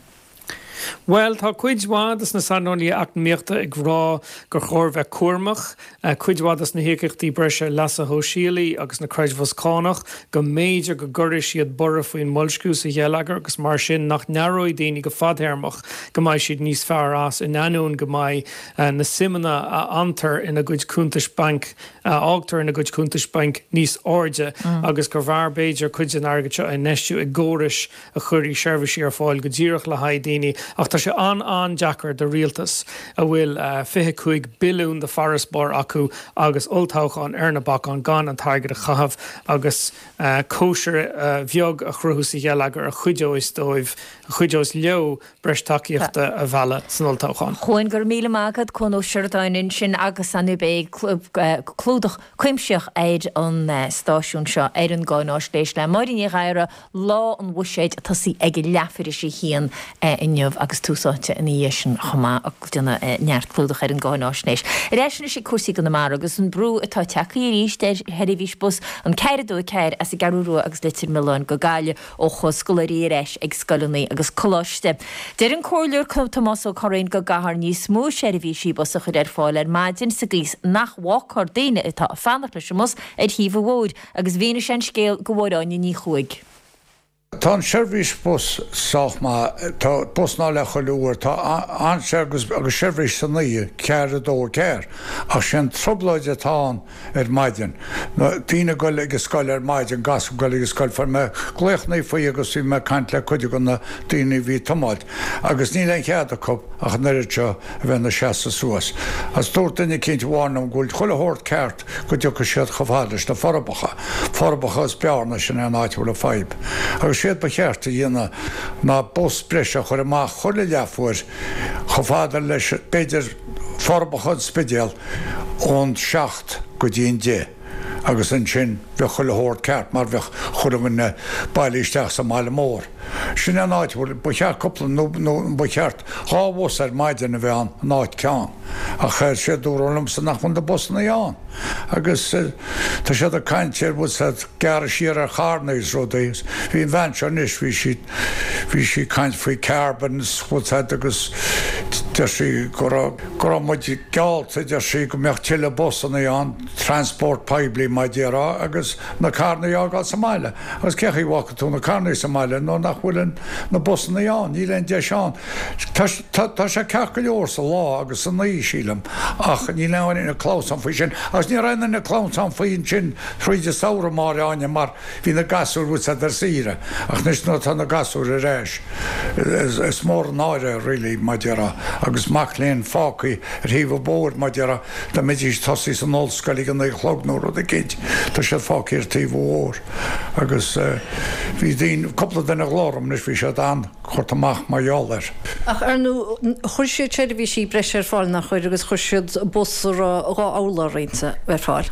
Bhuel, tá cuid mhaith dos na saineolaithe eacnamaíochta ag rá gur chóir bheith cúramach. Cuid mhaith dos na híocaíochtaí breise leasa shóisialaigh agus na creidmheas cánach, go mb'fhéidir go gcuirfidh siad borradh faoin mboilsciú sa gheilleagar agus mar sin nach n-aireoidh daoine go fadtéarmach go mbeidh siad níos fearr as in ainneoin go mbeidh na suimeanna a fhantar ina gcuid cuntais bainc a fhágtar ina gcuid cuntais bainc níos airde agus gur bhfearr b'fhéidir cuid den airgead seo a infheistiú i gcórais a chuirfidh seirbhísí ar fáil go díreach le haghaidh daoine ach tá sé an-an-deacair do rialtas a bhfuil 25 billiún de farasbarr acu agus olltoghchán ar na bacáin gan an t-airgead a chaitheamh agus cóisir bheag a chruthú sa gheilleagar a chuideos dóibh, a chuideos leo breis tacaíochta a mhealladh san olltoghchán. Chuain, go raibh míle maith agat, Cuan Ó Seireadáin ansin agus ar ndóigh beidh clúdach cuimsitheach ar an stáisiún seo ar an gcáináisnéis le Máire Ní Ghadhra, Lá an Bhuiséid ag tosaí ag leathuair théis a haon inniu agus Tús Áite ina dhiaidh sin chomh maith ag déanamh neart clúdach ar an gcáináisnéis. Ar ais anois ag cúrsaí i gConamara agus an brú atá tagtha arís ar sheirbhís bus an 424 as an gCeathrú Rua agus Leitir Mealláin go Gaillimh ó chuaigh scoláirí ar ais ag scoileanna agus coláiste. Deir an Comhairleoir Tomás Ó Curraoin go gcaithfear níos mó seirbhísí bus a chur ar fáil ar maidin sa gcaoi is nach bhfágfar daoine atá ag fanacht leis an mbus ar thaobh an bhóthair. Agus mhínigh sé an scéal do Mháire Áine Ní Chuaig. Tá an seirbhís bus sách maith, tá bus ná leath chuile uair, tá an agus agus seirbhís san oíche, ceathair a dó a ceathair, ach sé an trioblóid atá ann ar maidin, na daoine ag goil ag an scoil ar maidin, gasúir ag goil ag an scoil, fuair mé glaochannaí faoi agus bhí mé ag caint le cuid de na daoine a bhí ag tiomáilt agus níl aon chead acu ach an oiread seo a bheith ina seasamh suas. Agus dúirt duine eicínt amháin liom go bhfuil chuile shórt ceart go dtiocfaidh siad chomh fada leis na Forbacha, Forbacha is Bearna, sin é an áit a bhfuil an fadhb. Agus séard ba cheart a dhéanamh ná bus breise a chur amach chuile leathuair chomh fada leis, b'fhéidir, Forbacha, an Spidéal, ón seacht go dtí an deich agus ansin bheadh chuile shórt ceart mar bheadh chuile dhuine bailithe isteach sa mbaile mór. Sin é an áit a bhfuil, ba cheart cúpla, nó ba cheart dhá bhus ar maidin a bheith ann in áit ceann. Ach sé dúradh liomsa nach bhfuil na busannaí ann. Agus tá siad ag caint ar bhfuil siad gearradh siar ar charranna is rudaí. Bhí an bhean seo anois, bhí sí, bhí sí ag caint faoi carbon is bhfuil siad agus deir sí go raibh, go raibh muid geallta, deir sí, go mbeadh tuilleadh busannaí ann, transport poiblí mar a déarfá agus na carrannaí a fhágáil sa mbaile. Agus cé chaoi a bhfágfaidh tú na carrannaí sa mbaile nuair nach bhfuil an, na busannaí ann, níl aon deis ann. Tá, tá sé ceart go leor sa lá agus san oíche, sílim, ach níl aon duine ag clamhsán faoi sin. Agus ní raibh aon duine ag clamhsán faoi ansin thríd an samhradh, a Mháire Áine, mar bhí na gasúir, bhfuil siad ar saoire. Ach anois nuair atá na gasúir ar ais, is mór an náire, really, mar a déarfá, agus mac léinn fágtha ar thaobh an bhóthair, mar a déarfá, dá mbeidís ag tosaí san ollscoil ag a naoi a chlog nó rud eicínt, tá siad fágtha ar taobh an bhóthair. Agus bhí daoine, cúpla duine a ghlaoigh orm anois, bhí siad an. curtha amach mar gheall air. Ach ar ndóigh, chuir siad seirbhísí breise ar fáil, nach chuir, agus chuir siad bus a raibh 2 urlár inti ar fáil.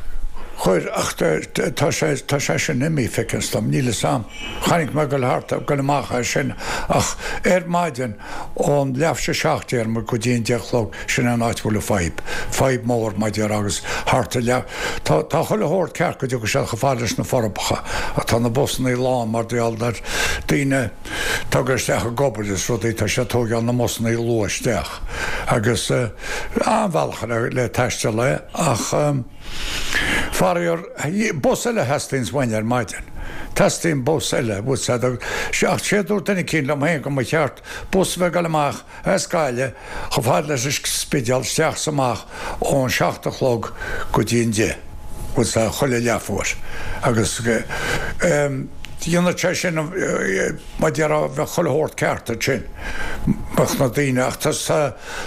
Chuir, ach tá sé, tá sé sin imithe, feictear dom, níl fhios a'm. Chonaic mé ag goil thart, ag goil amach é sin, ach ar maidin ón leath théis a seacht déarfaidh muid go dtí an deich a chlog, sin é an áit a bhfuil an fadhb, fadhb mór mar a déarfá agus thart ar leath, tá, tá chuile shórt ceart go dtiocfaidh siad chomh fada leis na Forbacha ach tá na busannaí lán mar gheall ar daoine, Tagtha isteach ag obair is rudaí, tá siad ag tóigeáil na mbusannaí luath isteach agus an-bhealach le taisteal é ach faraor, bus eile a theastaíonns uainn ar maidin. Teastaíonn bus eile, bhfuil 's a'd, ach sé a dúirt duine eicínt liom féin go mba cheart bus a bheith ag dul amach as Gaillimh chomh fada leis an Spidéal isteach 's amach ón seacht a chlog go dtí an deich, bhfuil 's a'd, chuile leathuair agus dhéanfadh sé sin mar a déarfá bheadh chuile shórt ceart ansin, bheadh na daoine ach tá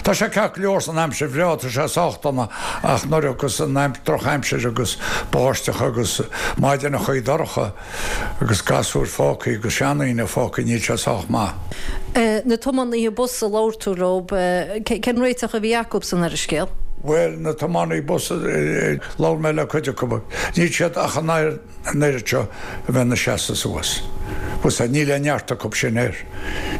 tá sé ceart go leor san aimsir bhreá, tá sé sách dona ach nuair agus an drochaimsir agus báisteach agus maidineachaí dorcha. Agus gasúir fágtha agus seandaoine fágtha, níl sé sách maith. Na tiománaithe bus a labhair tú leo, cén réiteach a bhí acusan ar an scéal? Bhuel, na tiománaithe bus, labhair mé le cuid acu, níl siad ach an oiread seo a bheith ina seasamh suas. Bhfuil a fhios a'd, níl aon neart acu sin air.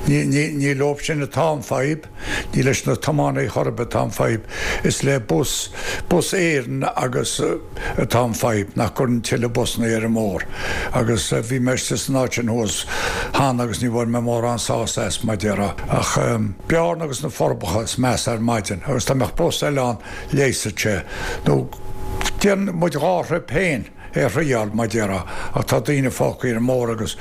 Ní, ní, ní leob sin atá an fadhb, ní leis na tiománaithe chor ar bith atá an fadhb, is le Bus, Bus Éireann agus atá an fadhb, nach gcuireann tuilleadh busanna ar an mbóthar. Agus bhí mé istigh san áit sin thuas cheana agus ní bhfuair mé mórán sásamh as, mar a déarfá. Ach Bearna agus na Forbacha is measa ar maidin agus dá mbeadh bus eile ann leigheasfadh sé. Nó déanann muid dhá thruip féin. é a thriáil, mar a déarfá, ach tá daoine fágtha ar an mbóthar agus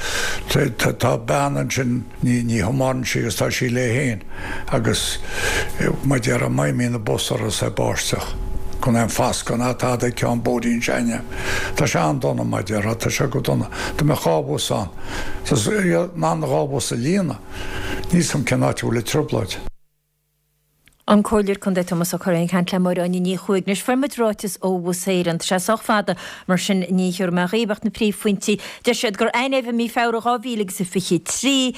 tá bean ansin, ní thiomáineann sí agus tá sí léi féin agus, mar a déarfá, má imíonn an bus orthu is é báisteach, gan aon foscadh ná tada ag ceann bóithrín s'againne. Tá sé an-dona, mar a déarfá, tá sé go dona. Dá mbeadh dhá bhus ann, tá in ann dhá bhus a líonadh, níl 's a'm cén áit a bhfuil an trioblóid. An Comhairleoir Contae Tomás Ó Curraoin ag caint le Máire Áine Ní Chuaig. Anois fuair muid ráiteas ó Bhus Éireann. Tá sé sách fada, mar sin ní thiúrfaidh mé dhaoibh ach na príomhphointí. Deir siad gur aithníodh i mí Feabhra 2023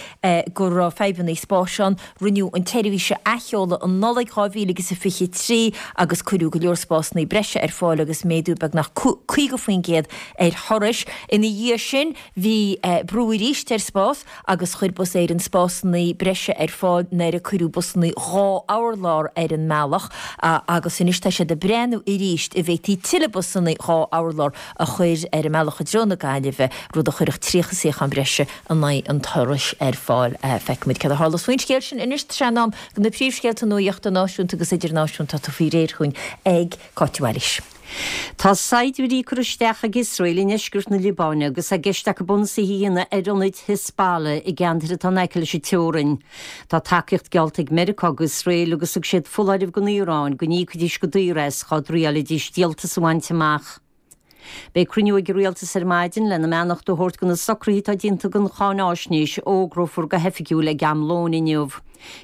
go raibh fadhbanna spáis ann. Rinneadh an tseirbhís a athsheoladh i Nollaig 2023 agus cuireadh go leor spásanna breise ar fáil agus méadú beagnach 50% ar thurais. Ina dhiaidh sin bhí brú arís ar spás. agus chuir Bus Éireann spásanna breise ar fáil nuair a cuireadh busanna 2 urlár ar an mbealach agus anois tá siad ag breathnú arís an bhféadfaí tuilleadh busanna 2 urlár a chur ar an mbealach i dtreo na Gaillimhe, rud a chuirfeadh 30 suíochán breise in aghaidh an turais ar fáil. Feicfimid céard a tharlós faoin scéal sin anois. Tá sé in am do na príomhscéalta nuachta náisiúnta agus idirnáisiúnta atá faoi réir chugainn ag Cáit de Bhailís. Tá saighdiúirí curtha isteach ag Iosrael i ndeisceart na Liobáine agus é i gceist acu ionsaithe a dhéanamh ar ionaid Hezbollah i gceantair atá in aice leis an teorainn. Tá tacaíocht geallta ag Meiriceá d'Iosrael agus thug siad foláireamh don Iaráin go n-íocfaidís go daor as dhá dtriailfidís díoltas a bhaint amach. Beidh cruinniú ag an Rialtas ar maidin lena mbeannacht a thabhairt do na socruithe atá déanta don cháináisnéis a fhógrófar go hoifigiúil ag am lóin inniu.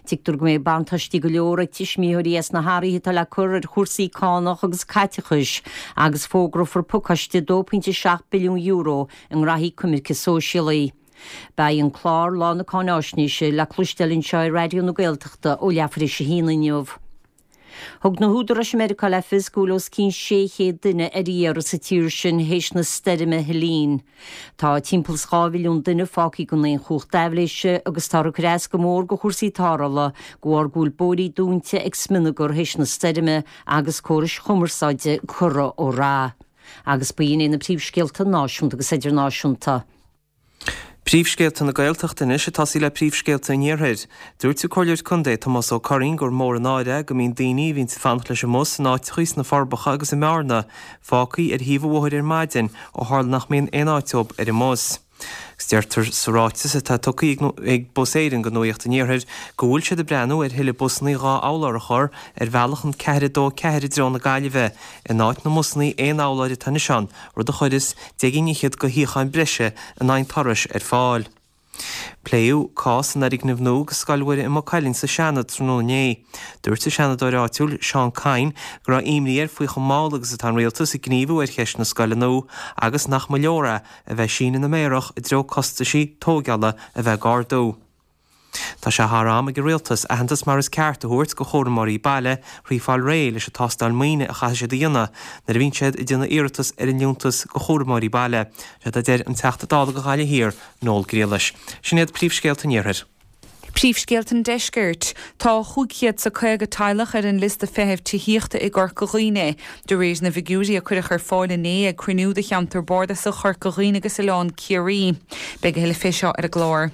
Tuigtear go mbeidh buntáistí go leor ag tuismitheoirí as na hathruithe atá le cur ar chúrsaí cánach agus caiteachais agus fógrófar pacáiste €2.7 billiún i ngraithí coimirce sóisialaí. Beidh an clár Lá na Cáináisnéise le cloisteáil anseo ar Raidió na Gaeltachta ó leathuair tar éis a haon inniu. Thug na húdaráis i Meiriceá le fios go bhfuil os cionn 600 duine ar iarraidh sa tír sin théis na stoirme Helene. Tá timpeall is 2 mhilliún duine fágtha gan aon chumhacht aibhléise agus táthar ag cur as go mór do chúrsaí tarrthála de bharr go bhfuil bóithrí dúnta ag smionagar théis na stoirme agus córais chumarsáide curtha ó rath. Agus b'in é na príomhscéalta náisiúnta agus idirnáisiúnta. Príomhscéalta na Gaeltachta anois ag tosaí le príomhscéalta an Iarthair. Dúirt an Comhairleoir Contae Tomás Ó Curraoin gur mór an náire é go mbíonn daoine a bhíonns ag fanacht leis an mbus in áiteachaí sna Forbacha agus i mBearna fágthaí ar thaobh an bhóthair ar maidin ó tharla nach mbíonn aon áit dóibh ar an mbus. Agus deirtear sa ráiteas atá tugtha ag Bus Éireann go Nuacht an Iarthair go bhfuil siad ag breathnú ar thuilleadh busannaí 2 urlár a chur ar bhealach an 4 2 4 i dtreo na Gaillimhe in áit na mbusannaí aon urláir atá anois ann, rud a chuirfeas deich gcinn fhichead de shuíocháin breise in aghaidh an turais ar fáil. Pléadh cás an fhoirgnimh nua do Scoil Mhuire i Maigh Cuilinn sa Seanad tráthnóna inné. Dúirt an Seanadóir áitiúil, Seán Kyne, go raibh imní air faoi chomh mall agus atá an Rialtas ag gníomhú ar cheist na scoile nua agus nach mba leor é a bheith ag síneadh na méarach i dtreo costaisí tóigeála a bheith ag ardú. Tá sé thar am ag an Rialtas aitheantas mar is ceart a thabhairt go chúramóirí baile thrí fáil réidh leis an tástáil maoine a chaithfidh siad a dhéanamh nuair a bhíonn siad ag déanamh iarratas ar an Liúntas go Chúramóirí Baile, séard a deir an Teachta Dála go Ghaillimh Thiar, Noel Grealish. Sin iad príomhscéalta an Iarthair. Príomhscéalta an Deiscirt. Tá 550 teaghlach ar an liosta feithimh tithíochta i gCorca Dhuibhne, de réir na bhfigiúirí a cuireadh ar fáil inné ag cruinniú de cheantar bardasach Chorca Dhuibhne agus Oileán Ciarraí. Beidh a thuilleadh fé seo ar an gclár.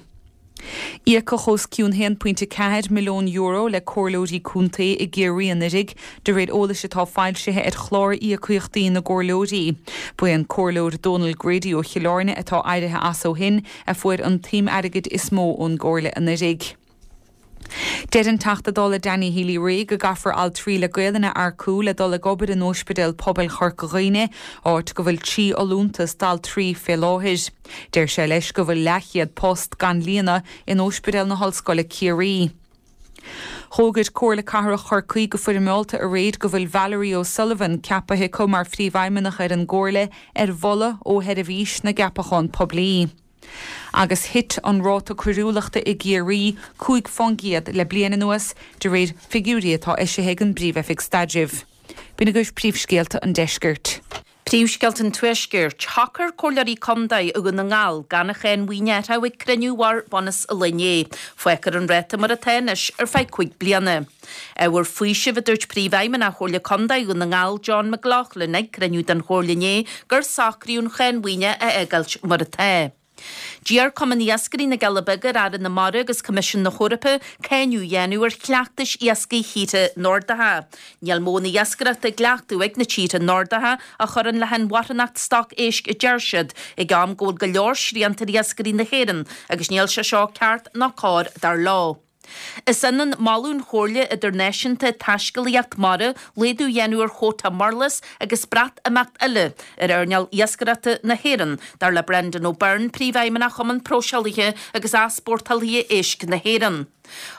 Íocadh os cionn €1.4 milliún le comhairleoirí contae i gCiarraí anuraidh, de réir eolais atá foilsithe ar chlár íocaíochtaí na gcomhairleoirí. Ba é an Comhairleoir Dónal Grady ó Chill Airne, atá éirithe as ó shin, a fuair an tsuim airgid is mó ón gcomhairle anuraidh. Deir an Teachta Dála Danny Healy-Rae go gcaithfear altraí le Gaelainn a earcú le dul ag obair in Óispidéal Pobail Chorca Dhuibhne, áit go bhfuil 3 fholúntas d'altraí fé láthair. Deir sé leis go bhfuil leathchéad post gan líonadh in Óispidéal na hOllscoile Ciarraí. Dh'fhógair Comhairle Cathrach Chorcaí go foirmeálta aréir go bhfuil Valerie O'Sullivan ceapaithe acu mar Phríomhfheidhmeannach ar an gComhairle ar mholadh ó Sheirbhís na gCeapachán Poiblí. Agus thit an ráta coiriúlachta i gCiarraí 5 fán gcéad le bliain anuas, de réir figiúirí atá eisithe ag an bPríomh-Oifig Staidrimh. B'in agaibh príomhscéalta an deiscirt. Príomhscéalta an Tuaiscirt, Shocair Comhairleoirí Contae i Dhún na nGall gan an cháin mhaoine a athrú ag cruinniú a mhair bun os an lae inné. Fágfar an ráta mar atá anois ar feadh 5 bliana. Ábhar faoisimh, a dúirt Príomhfheidhmeannach Chomhairle Contae Dhún na nGall John McLaughlin ag cruinniú den Chomhairle inné gur socraíodh an cháin mhaoine a fhágáilt mar atá. D'iarr Cumann Iascairí na gCealla Beaga ar Aire na Mara agus Coimisiún na hEorpa cáineadh a dhéanamh ar chleachtais iascaigh thíortha Nordacha. Níl modhanna iascaireachta á gcleachtadh ag na tíortha Nordacha a chuireann le hinmharthanacht stoc éisc a deir siad, ag am go bhfuil go leor srianta ar iascairí na hÉireann agus níl sé seo ceart ná cóir dar leo. Is ionann moladh an Chomhairle Idirnáisiúnta Taiscéalaíocht Mara laghdú a dhéanamh ar chuóta murlas agus Breatimeacht eile ar earnáil iascaireachta na hÉireann, dar le Brendan O'Byrne, Príomhfheidhmeannach Chumann Próiseálaithe agus Easpórtálaithe Éisc na hÉireann.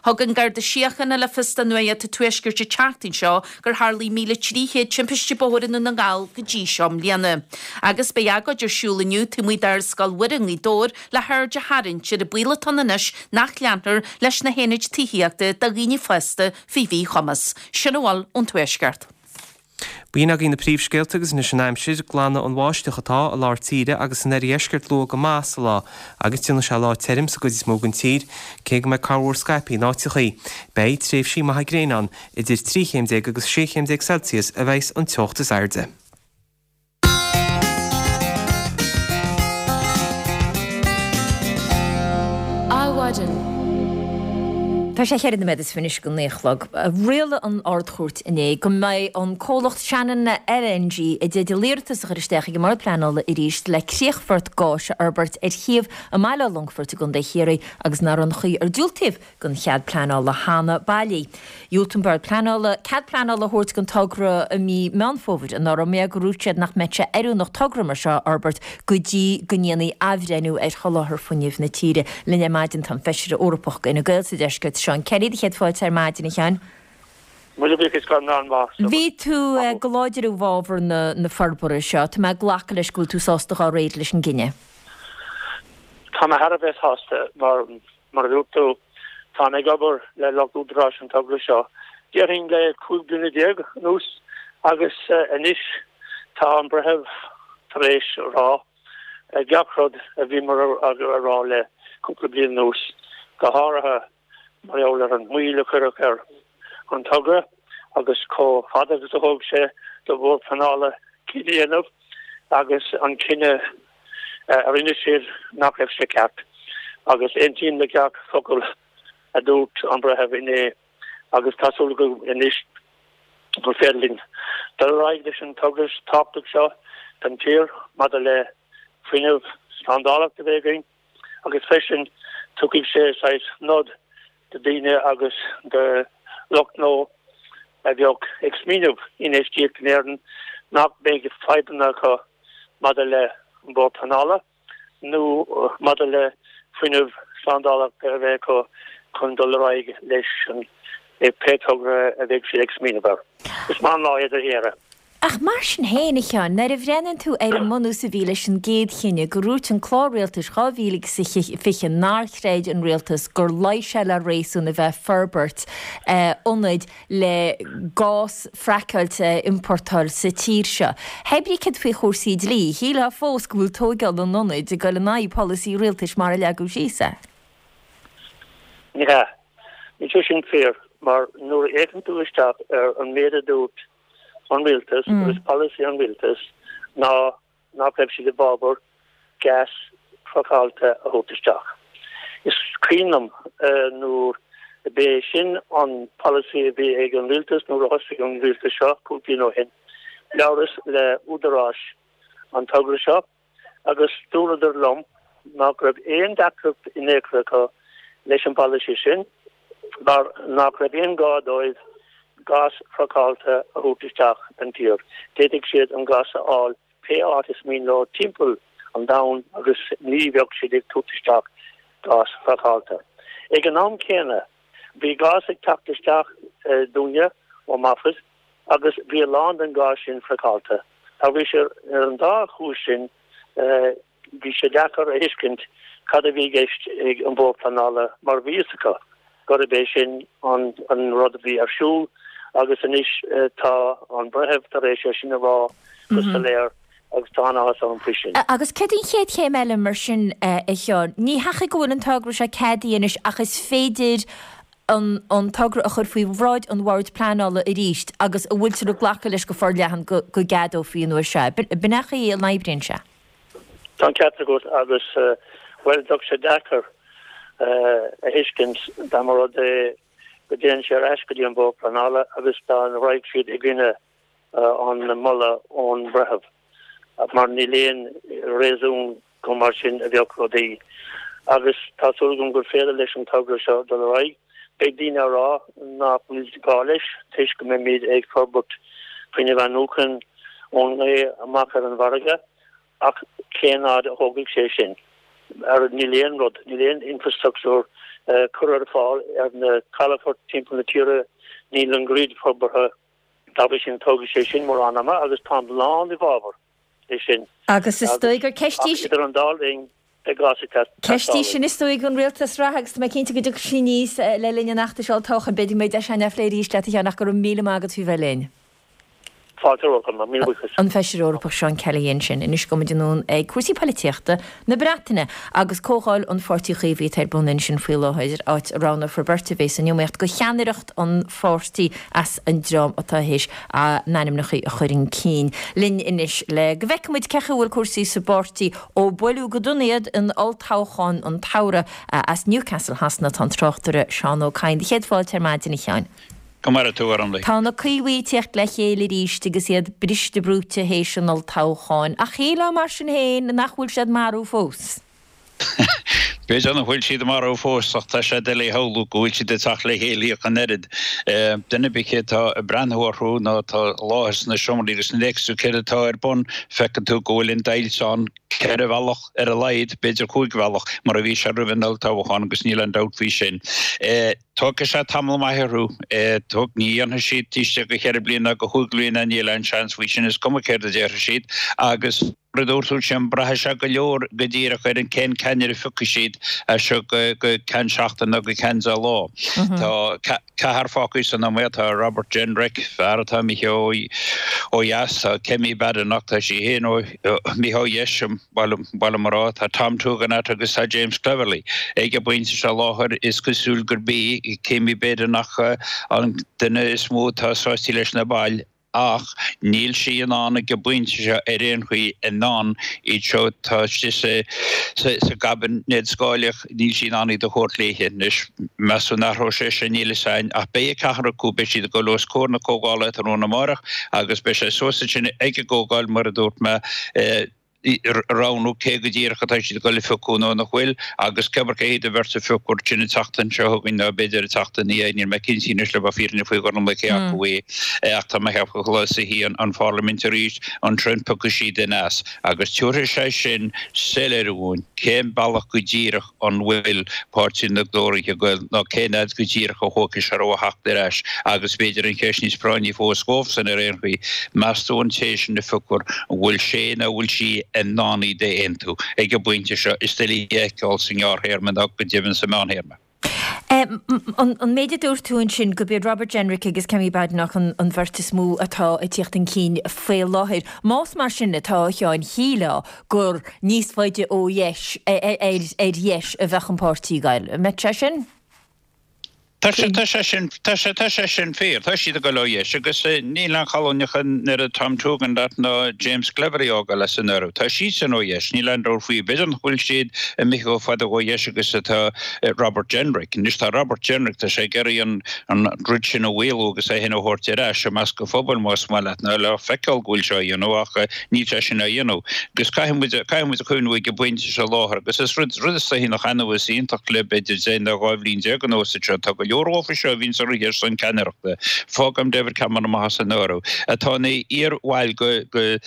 Thug an Garda Síochána le fios do Nuacht an Tuaiscirt an tseachtain seo gur tharlaigh 1,300 timpiste bóthair i nDún na nGall go dtí seo i mbliana. Agus beidh agóid ar siúl inniu taobh amuigh d'Ardscoil Mhuire i nGaoth Dobhair le haird a tharraingt ar an baol atá ann anois nach leanfar leis na haonaid tithíochta do dhaoine fásta faoi mhíchumas. Sin a bhfuil ón Tuaisceart. B'in agaibh na príomhscéalta agus anois an aimsir. Glanfaidh an bháisteach atá i lár tíre agus san oirdheisceart luath go maith sa lá agus déanfaidh sé lá tirim sa gcuid is mó den tír, cé go mbeidh corrmhúr scaipthe in áiteachaí. Beidh tréimhsí maithe gréine ann. Idir 13 chéim agus 16 chéim Celsius a bheas an teocht is airde. Adhmhaidin. Tá sé cheithre nóiméad is fiche anois go naoi a chlog. Rialaigh an Ard-Chúirt inné go mbeidh an comhlacht Shannon LNG i dteideal iarratas a chur isteach ag an mBord Pleanála arís le críochfort gáis a fhorbairt ar shuíomh i mbaile Átha Longfoirt i gContae Chiarraí agus nach raibh an chaoi ar diúltaíodh don chead pleanála cheana bailí. Dhiúltaigh an Bord Pleanála cead pleanála a thabhairt don togra i mí Meán Fómhair anuraidh mar gur dhúirt siad nach mbeadh sé oiriúnach togra mar seo a fhorbairt go dtí go ndéanfaí athbhreithniú ar sholáthar fuinnimh na tíre. Linn ar maidin tá an Feisire Eorpach d'Fhine Gael sa Deisceart, Seán Kelly. Do chéad fáilte ar maidin, a Sheáin. Míle buíochas go raibh maith agat. Bhí tú go láidir i bhfabhar na forbartha seo. Tá mé ag glacadh leis go bhfuil tú sásta dhá réir leis an gcinneadh. Tá mé thar a bheith sásta mar Mar a dúirt tú, táim ag obair le lucht údaráis an togra seo, déarfainn le 15 bliana anuas agus anois tá an breitheamh tar éis a rá gach rud a bhíomar a rá le cúpla bliain anuas, go háirithe mar gheall ar an moill a cuireadh ar an togra agus chomh fada agus a thóg sé do Bhord Pleanála cinneadh a dhéanamh agus an cinneadh a rinne siad nach raibh sé ceart agus aontaím le gach focal a dúirt an breitheamh inné agus tá súil agam anois gur féidir linn dul ar aghaidh leis an togra tábhachtach seo don tír maidir le fuinneamh slándáileach a bheith againn agus freisin tiocfaidh sé saghas nod do daoine agus do lucht gnó a bheadh ag smaoineamh infheistíocht in Éirinn nach mbeidh fadhbanna acu maidir le an Bord Pleanála nó maidir le fuinneamh slándáileach a bheith acu chun dul ar aghaidh leis an pé togra a bheidh siad ag smaoineamh air. Is maith an lá é d'Éire. Ach mar sin féin, a Sheáin, nuair a bhreathnaíonn tú ar an mbunús a bhí leis an gcéad chinneadh, gur dhúirt an Clár Rialtais 2020 nár chreid an rialtas gur luigh sé le réasún a bheith ag forbairt ionaid le gás fraiceáilte a iompórtáil sa tír seo. Hé brí céard faoi chúrsaí dlí, shílfeá fós go bhfuil tóigeáil an ionaid ag dul in aghaidh polasaí rialtais mar a leagadh síos é. Ní hea. Níl sé sin fíor, mar nuair a fhéachann tú isteach ar an méid a dúirt an rialtas agus polasaí an rialtais ná nach raibh siad i bhfabhar gás fraiceáilte a thabhairt isteach. Is cuimhin liom nuair b'é sin an polasaí a bhí ag an rialtas nuair a thosaigh an rialtas seo cúig bliana ó shin, labhras le údaráis an togra seo agus dúradar liom nach raibh aon deacracht in aon chor acu leis an bpolasaí sin mar nach raibh aon gá dóibh gás fraiceáilte a thabhairt isteach don tír. D'fhéadfadh siad an gás a fháil pé áit is mian leo timpeall an domhain agus ní bheadh siad ag tabhairt isteach gás fraiceáilte. Ag an am céanna, bhí gás ag teacht isteach dúinne ó Moffett agus bhí a lán den ghás sin fraiceáilte. Dá bhrí sin, ar an dá chúis sin, bhí sé deacair a thuiscint cad a bhí i gceist ag an Bhord Pleanála mar bhí fhios acu gurb é sin an rud a bhí ar siúl agus anois tá an breitheamh tar éis é sin a rá go soiléir. Agus tá an-áthas orm faoi sin. Agus céard an chéad chéim eile mar sin, a Sheáin? Ní hea go bhfuil an togra seo ceadaithe anois ach is féidir an togra a chur faoi bhráid an Bhoird Pleanála arís agus an bhfuiltear ag glacadh leis go forleathan go gceadófaí an uair seo? B'in é an chaoi a n-oibríonn sé. Tá an ceart agat agus, bhuel, bheadh sé deacair a thuiscint dá mba rud é go dtéann sé ar ais go dtí an Bord Pleanála agus dá raghadh siad i gcoinne an moladh ón mbreitheamh, mar níl aon réasún gur mar sin a bheadh rudaí. Agus tá súil agam gur féidir leis an togra seo dul ar aghaidh. Beidh daoine á rá nach bhfuil gá leis toisc go mbeimid ag forbairt fuinneamh athnuachan ón ngaoth amach ar an bhfarraige, ach cén fhad a thógfaidh sé sin? Níl aon rud, níl aon infrastructúr curtha ar fáil ar na calafoirt timpeall na tíre, níl an grid forbartha. Dá bhrí sin, tógfaidh sé sin mórán ama agus táim lán i bhfabhar é sin. Agus is dóigh gur ceist í. Ach idir an dá linn, beidh gás ag teastáil. Ceist í sin is dóigh don rialtas reatha agus tá mé cinnte go dtiocfaidh sí aníos le linn an fheachtais olltoghcháin. B'fhéidir go mbeidh deis againn é a phlé arís leat, a Sheáin, ach go raibh míle maith agat faoi bheith linn. Fáilte romhat, míle buíochas. An Feisire Eorpach Seán Kelly ansin. Anois gabhfaidh muid anonn ag cúrsaí poilitíochta na Breataine agus Comhdháil an Pháirtí Chaomhaigh atá ar bun ansin faoi láthair, áit a roghnófar beirt a bheas san iomaíocht do cheannaireacht an pháirtí as an dream atá théis a n-ainmneacha a chur chun cinn. Linn anois le go bhfeicfidh muid cén chaoi a bhfuil cúrsaí sa bpáirtí ó buaileadh go dona iad in olltoghchán an tsamhraidh as Newcastle Shasana tá an tráchtaire Seán Ó Cadhain. Céad fáilte ar maidin, a Sheáin. Go maire tú, a Ormhlaith. Tá na Caomhaigh ag tíocht le chéile arís agus iad briste brúite théis an olltoghcháin, ach shílfeá mar sin féin nach bhfuil siad marbh fós. B'fhéidir nach bhfuil siad marbh fós ach tá sé doiligh a shamhlú go bhfuil siad ag teacht le chéile ach an oiread. Duine ar bith atá ag breathnú orthu nó atá i láthair sna seomraí agus nuair a fheiceas tú céard atá ar bun, feiceann tú go bhfuil an deighilt ann 4 bhealach ar a laghad, b'fhéidir 5 bhealach, mar a bhí sé roimh an olltoghchán agus níl aon dabht faoi sin. Tógfaidh sé tamall maith orthu. Tóg, ní dhéanfaidh siad taobh istigh de cheithre bliana ná de chúig bliana, níl aon seans faoi sin, is cuma céard a déarfaidh siad. Agus mar a dúirt tú ansin, braithfidh sé go leor go díreach ar an cén ceannaire a phiocfaidh siad as seo go ceann seachtaine nó go ceann deich lá. Tá ceathrar fágtha san iomaíocht, tá Robert Jenrick, fear atá imithe ó dheas, tá Kemi Badenoch, tá sí féin imithe ó dheis, Ba mhaith liom a rá, tá Tom Tugendhat agus tá James Cleverly ag an bpointe seo láthair. Is cosúil gurb í Kemi Badenoch an duine is mó atá sáite leis na baill ach níl sí in ann ag an bpointe seo ar aon chaoi in ann iad seo atá istigh sa gcaibinéad scáileach, níl sí in ann iad a thabhairt léithe. Anois, meas tú an athróidh sé sin? Níl fhios a'inn ach beidh an ceathrar acu, beidh siad ag dul os comhair na comhdhála tráthnóna amárach agus beidh sé suas ansin ag an gcomhdháil mar a dúirt mé, roghnú cé go díreach atá siad ag dul a phiocadh nó nach bhfuil, agus cébir cé hiad an bheirt a phiocfar sin an tseachtain seo chugainn nó b'fhéidir an tseachtain ina dhiaidh, níl mé cinnte anois le bheith fírinneach faoi Ghormlaith cé acu é, ach tá mé ag ceapadh go suífidh an Pharlaimint arís ansin piocfaidh siad duine as, agus tabharfaidh sé sin soiléiriú dhúinn cén bealach go díreach an bhfuil Páirtí na dTóraithe ag goil nó cén fhad go díreach a thógfaidh sé orthu a theacht ar ais agus b'fhéidir an cheist níos práinní fós dhóibhsan ar aon chaoi, meas tú an té sin a phiocfar, an bhfuil sé nó an bhfuil sí in ann iad a aontú ag an bpointe seo? Is doiligh a fheiceáil sa ngearrthéarma ná go deimhin sa meánthéarma. An méid a dúirt tú ansin, gurb iad Robert Jenrick agus Kemi Badenoch an bheirt is mó atá ag tíocht chun cinn faoi láthair. Más mar sin atá, a Sheáin, shílfeá gur níos faide ó dheis, ar dheis a bheadh an páirtí ag goil. An mbeadh sé sin? Tá sé, tá sé sin, tá sé, tá sé sin fíor. Tá siad ag goil ó dheis agus níl aon chalóineach an oiread Tom Tugendhat ná James Cleverly á fhágáil as an áireamh. Tá siadsan ó dheis, níl aon dabht faoi. B'fhéidir nach bhfuil siad imithe chomh fada ó dheis agus atá Robert Jenrick. Anois tá Robert Jenrick, tá sé ag iarraidh an, an rud sin a mhaolú agus é féin a thabhairt ar ais i measc an phobail más maith leat, nó le feiceáil go bhfuil sé á dhéanamh ach níl sé sin á dhéanamh. Agus caithfidh muid, caithfidh muid a chuimhniú ag an bpointe seo láthair agus is rud, rud is dóichí nach annamh is iontach le b'fhéidir 10 nó 12 bhliain anuas anseo, tá go leor dhófa seo a bhíonns ag rith ar son ceannaireachta, fágaim David Cameron amach as an áireamh, atá ina iar-bhaill go, go,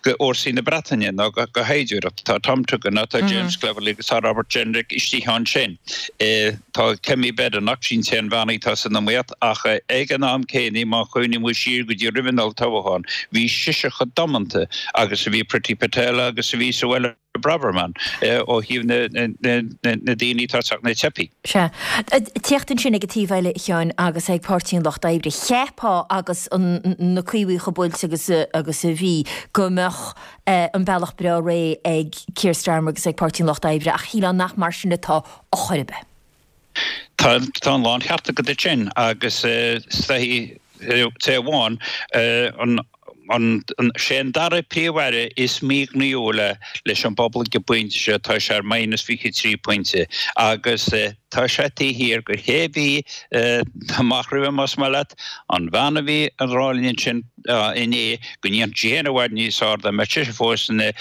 go Fhórsaí na Breataine nó go, go shaighdiúireacht. Tá Tom Tugendhat, tá James Cleverly agus tá Robert Jenrick istigh ansin. Tá Kemi Badenoch, sin an t-aon bhean atá san iomaíocht, ach ag an am céanna, má chuimhníonn muid siar go dtí roimh an olltoghchán, bhí sise chomh damanta agus a bhí Priti Patel agus a bhí Suella. Braverman ó thaobh na daoine atá ag teacht, na teifigh. Sea. Teacht ansin ag an taobh eile, a Sheáin, agus ag Páirtí an Lucht Oibre. Cheapfá agus na Caomhaigh chomh buailte agus agus a bhí go mbeadh an bealach breá réidh ag Keir Starmer agus ag Páirtí an Lucht Oibre ach shílfeá nach mar sin atá a chor ar bith. Tá tá an láncheart agat ansin agus is dóichí taobh amháin an an sé an dara príomh-aire is míghnaíúla leis an bpobal ag an bpointe seo, tá sé ar minus 23 pointe agus tá sé taobh thiar de cé bhí amach roimhe más maith leat, an bhean a bhí ag rá linn ansin inné go ndéanfadh sí féin i bhfad níos fearr dá mbeadh sise fós ina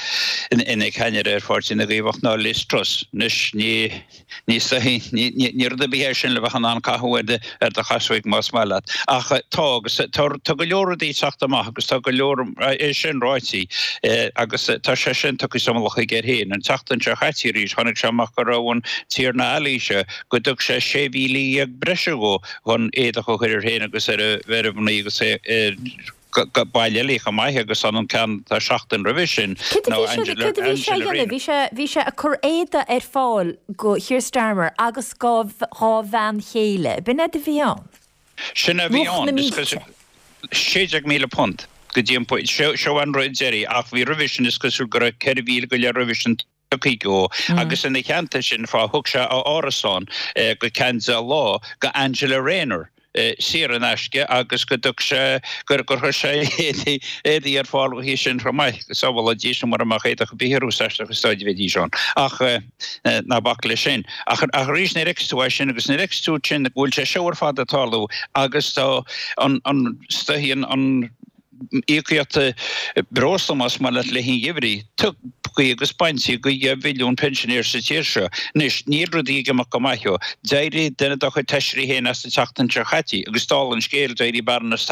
ina ceannaire ar Pháirtí na gCaomhach ná Liz Truss. Anois ní Ní ní rud ar bith é sin le bheith in ann caitheamh ar do chasóig más maith leat. Ach tá agus tá go leor rudaí ag teacht amach agus tá go leor é sin ráite agus tá sé sin tugtha sa mullach aige air féin. An tseachtain seo chaite arís tháinig sé amach go raibh an Tiarna Ali seo go dtug sé 16,000 breise dhó chun éadach a chur air féin agus ar a mhnaoi agus é baill eile chomh maith agus an ceann tá seachtain roimhe sin Céard a ná bhí sé, Angela, céard a bhí sé a Angela dhéanamh? Rayner. Bhí sé, bhí sé ag cur éadaí ar fáil go Keir Starmer agus dhá, dhá bhean chéile. B'in é a bhí ann. Sin a bhí Luach ann. na Is mílte. cosúil £16,000 go dtí an pointe. Seo, seo an rud deiridh ach bhí roimhe sin is cosúil go raibh 4,000 go leith roimhe sin tugtha dhó agus ina theannta sin fá thug sé a árasán go ceann 10 lá go Angela Rayner saor in aisce agus go dtug sé gur chuir sé éadaí éadaí ar fáil dhi sin chomh maith. Sábhála Dia mura mbeadh éadach ar bith orthu aisteach is dóigh a bheidís ann. Ach ná bac leis sin. Ach arís nuair a fheiceas tú é sin agus nuair a fheiceas tú sin go bhfuil sé seo ar fad ag tarlú agus tá an an an íocaíocht breosla, más maith leat, le an gheimhridh, tugtha agus bainte de dheich mhilliún pensioner sa tír seo. Anois, níl rudaí ag imeacht go maith leo. D'éirigh duine dá chuid feisirí féin as an tseachtain seo chaite agus dála an scéil, d'éirigh Baroness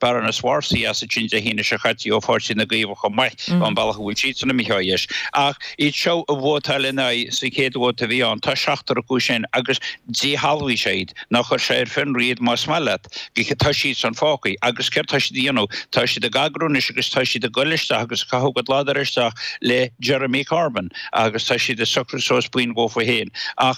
Baroness Warsi as ansin Dé hAoine seo chaite ó Pháirtí na gCaomhach chomh maith, ón bealach a bhfuil siadsan imithe ó dheis. Ach iad seo a vótáil ina aghaidh sa chéad vóta a bhí ann, tá seachtar acu sin agus díshealbhaigh sé iad, nó chuir sé ar fionraí iad más maith leat. Tá siad san fágtha. Agus céard tá siad a dhéanamh? Tá siad ag eagrú anois agus tá siad ag goil isteach agus ag caitheamh a gcuid ladar isteach le Jeremy Corbyn agus tá siad ag socrú suas buíon dhófa féin. Ach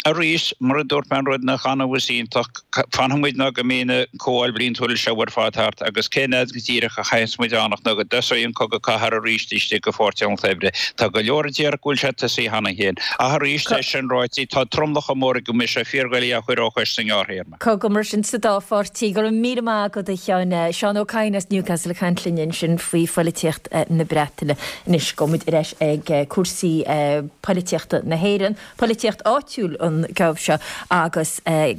arís, mar a dúirt mé an rud nach annamh is iontach, fanfaidh muid ná go mbeidh na comhdháil bhliantúil seo ar fad thart agus cén fhad go díreach a chaithfeas muid fanacht nó go dtosóidh an cogadh cathartha arís istigh i bPáirtí an Lucht Oibre. Tá go leor a déarfadh go bhfuil sé tosaithe cheana féin. Ach arís, é sin ráite, tá tromlach chomh mór aige go mbeidh sé fíordhoiligh é a chur ó chois sa ngearrthéarma. Cogadh mar sin sa dá pháirtí. Go raibh míle maith agat, a Sheáin. Seán Ó Cadhain as Newcastle ag caint linn ansin faoi phoilitíocht na Breataine. Anois, gabhfaidh muid ar ais ag cúrsaí poilitíochta na hÉireann, poilitíocht áitiúil an geábh seo agus i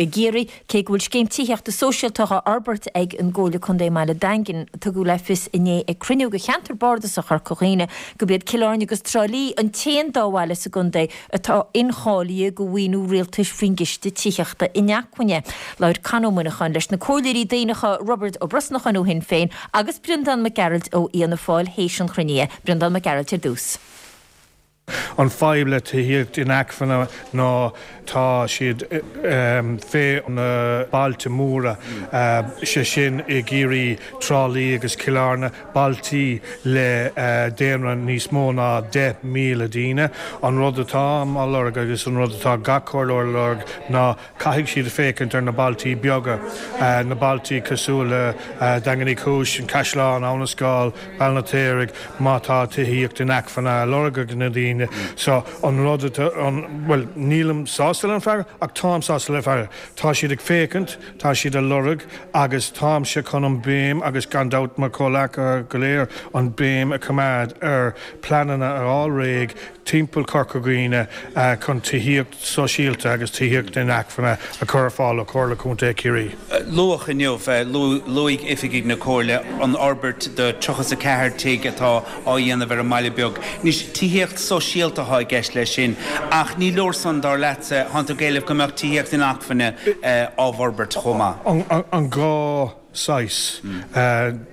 gCiarraí, cé go bhfuil scéim tithíochta sóisialta á fhorbairt ag an gComhairle Contae i mBaile Daingin, tugadh le fios inné ag cruinniú de cheantar bardasach Chorca Dhuibhne gurb iad Cill Airne agus Trá Lí an t-aon dá bhaile sa gcontae atá incháilithe do mhaoiniú rialtais faoin gCiste Tithíochta Inacmhainne. Labhair Con Ó Muineacháin leis na Comhairleoirí Daonacha Roibeard Ó Brosnacháin ó Shinn Féin agus Breandán Mac Gearailt ó Fhianna Fáil théis an chruinnithe. Breandán Mac Gearailt ar dtús. An fadhb le tithíocht inacmhainne ná tá siad fé na bailte móra, sé sin i gCiarraí, Trá Lí agus Cill Airne, bailtí le daonra níos mó ná 10,000 daoine. An rud atáim á lorg agus an rud atá gach comhairleoir a lorg ná caithfidh siad féachaint ar na bailtí beaga, na bailtí cosúil le Daingean Uí Chúis, An Caisleán, Abha na Scáil, Béal an Fheirtéaraigh, má tá tithíocht inacmhainne á lorg ag na daoine. So an rud atá, bhuel, nílim sásta le an freagra ach táim sásta le freagra. Tá siad ag féachaint. Tá siad a lorg agus táimse chun an béim, agus gan dabht mo chomhleacaithe go léir, an béim a choimeád ar pleananna a fháil réidh timpeall Chorca Dhuibhne chun tithíocht sóisialta agus tithíocht inacmhainne a chur ar fáil ó Chomhairle Contae Chiarraí. Luadh inniu, luaigh oifigigh na Comhairle an fhorbairt de 34 tigh atá á dhéanamh ar an mbaile beag. Anois, tithíocht sóisialta atá i gceist leis sin, ach ní leor san, dar leatsa. Tánn tú ag éileamh go mbeadh tithíocht inacmhainne á bhforbairt chomh maith. An gá? saghas.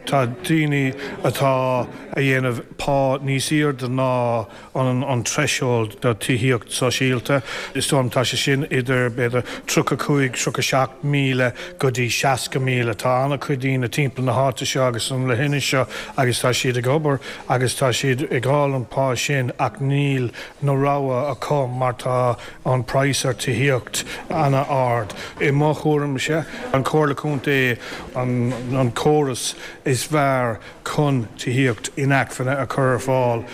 Tá daoine atá a dhéanamh pá níos airde ná an threshold do tithíocht sóisialta. Is dóigh liom tá sé sin idir b'fhéidir 35, 37,000 go dtí 60,000. Tá an-chuid daoine timpeall na háite seo agus an leithinis seo agus tá siad ag obair agus tá siad ag fháil an pá sin ach níl na rogha acu mar tá an praghas ar tithíocht ana-ard. I mo thuairimse, an Chomhairle Contae an córas is fearr chun tithíocht inacmhainne a chur ar fáil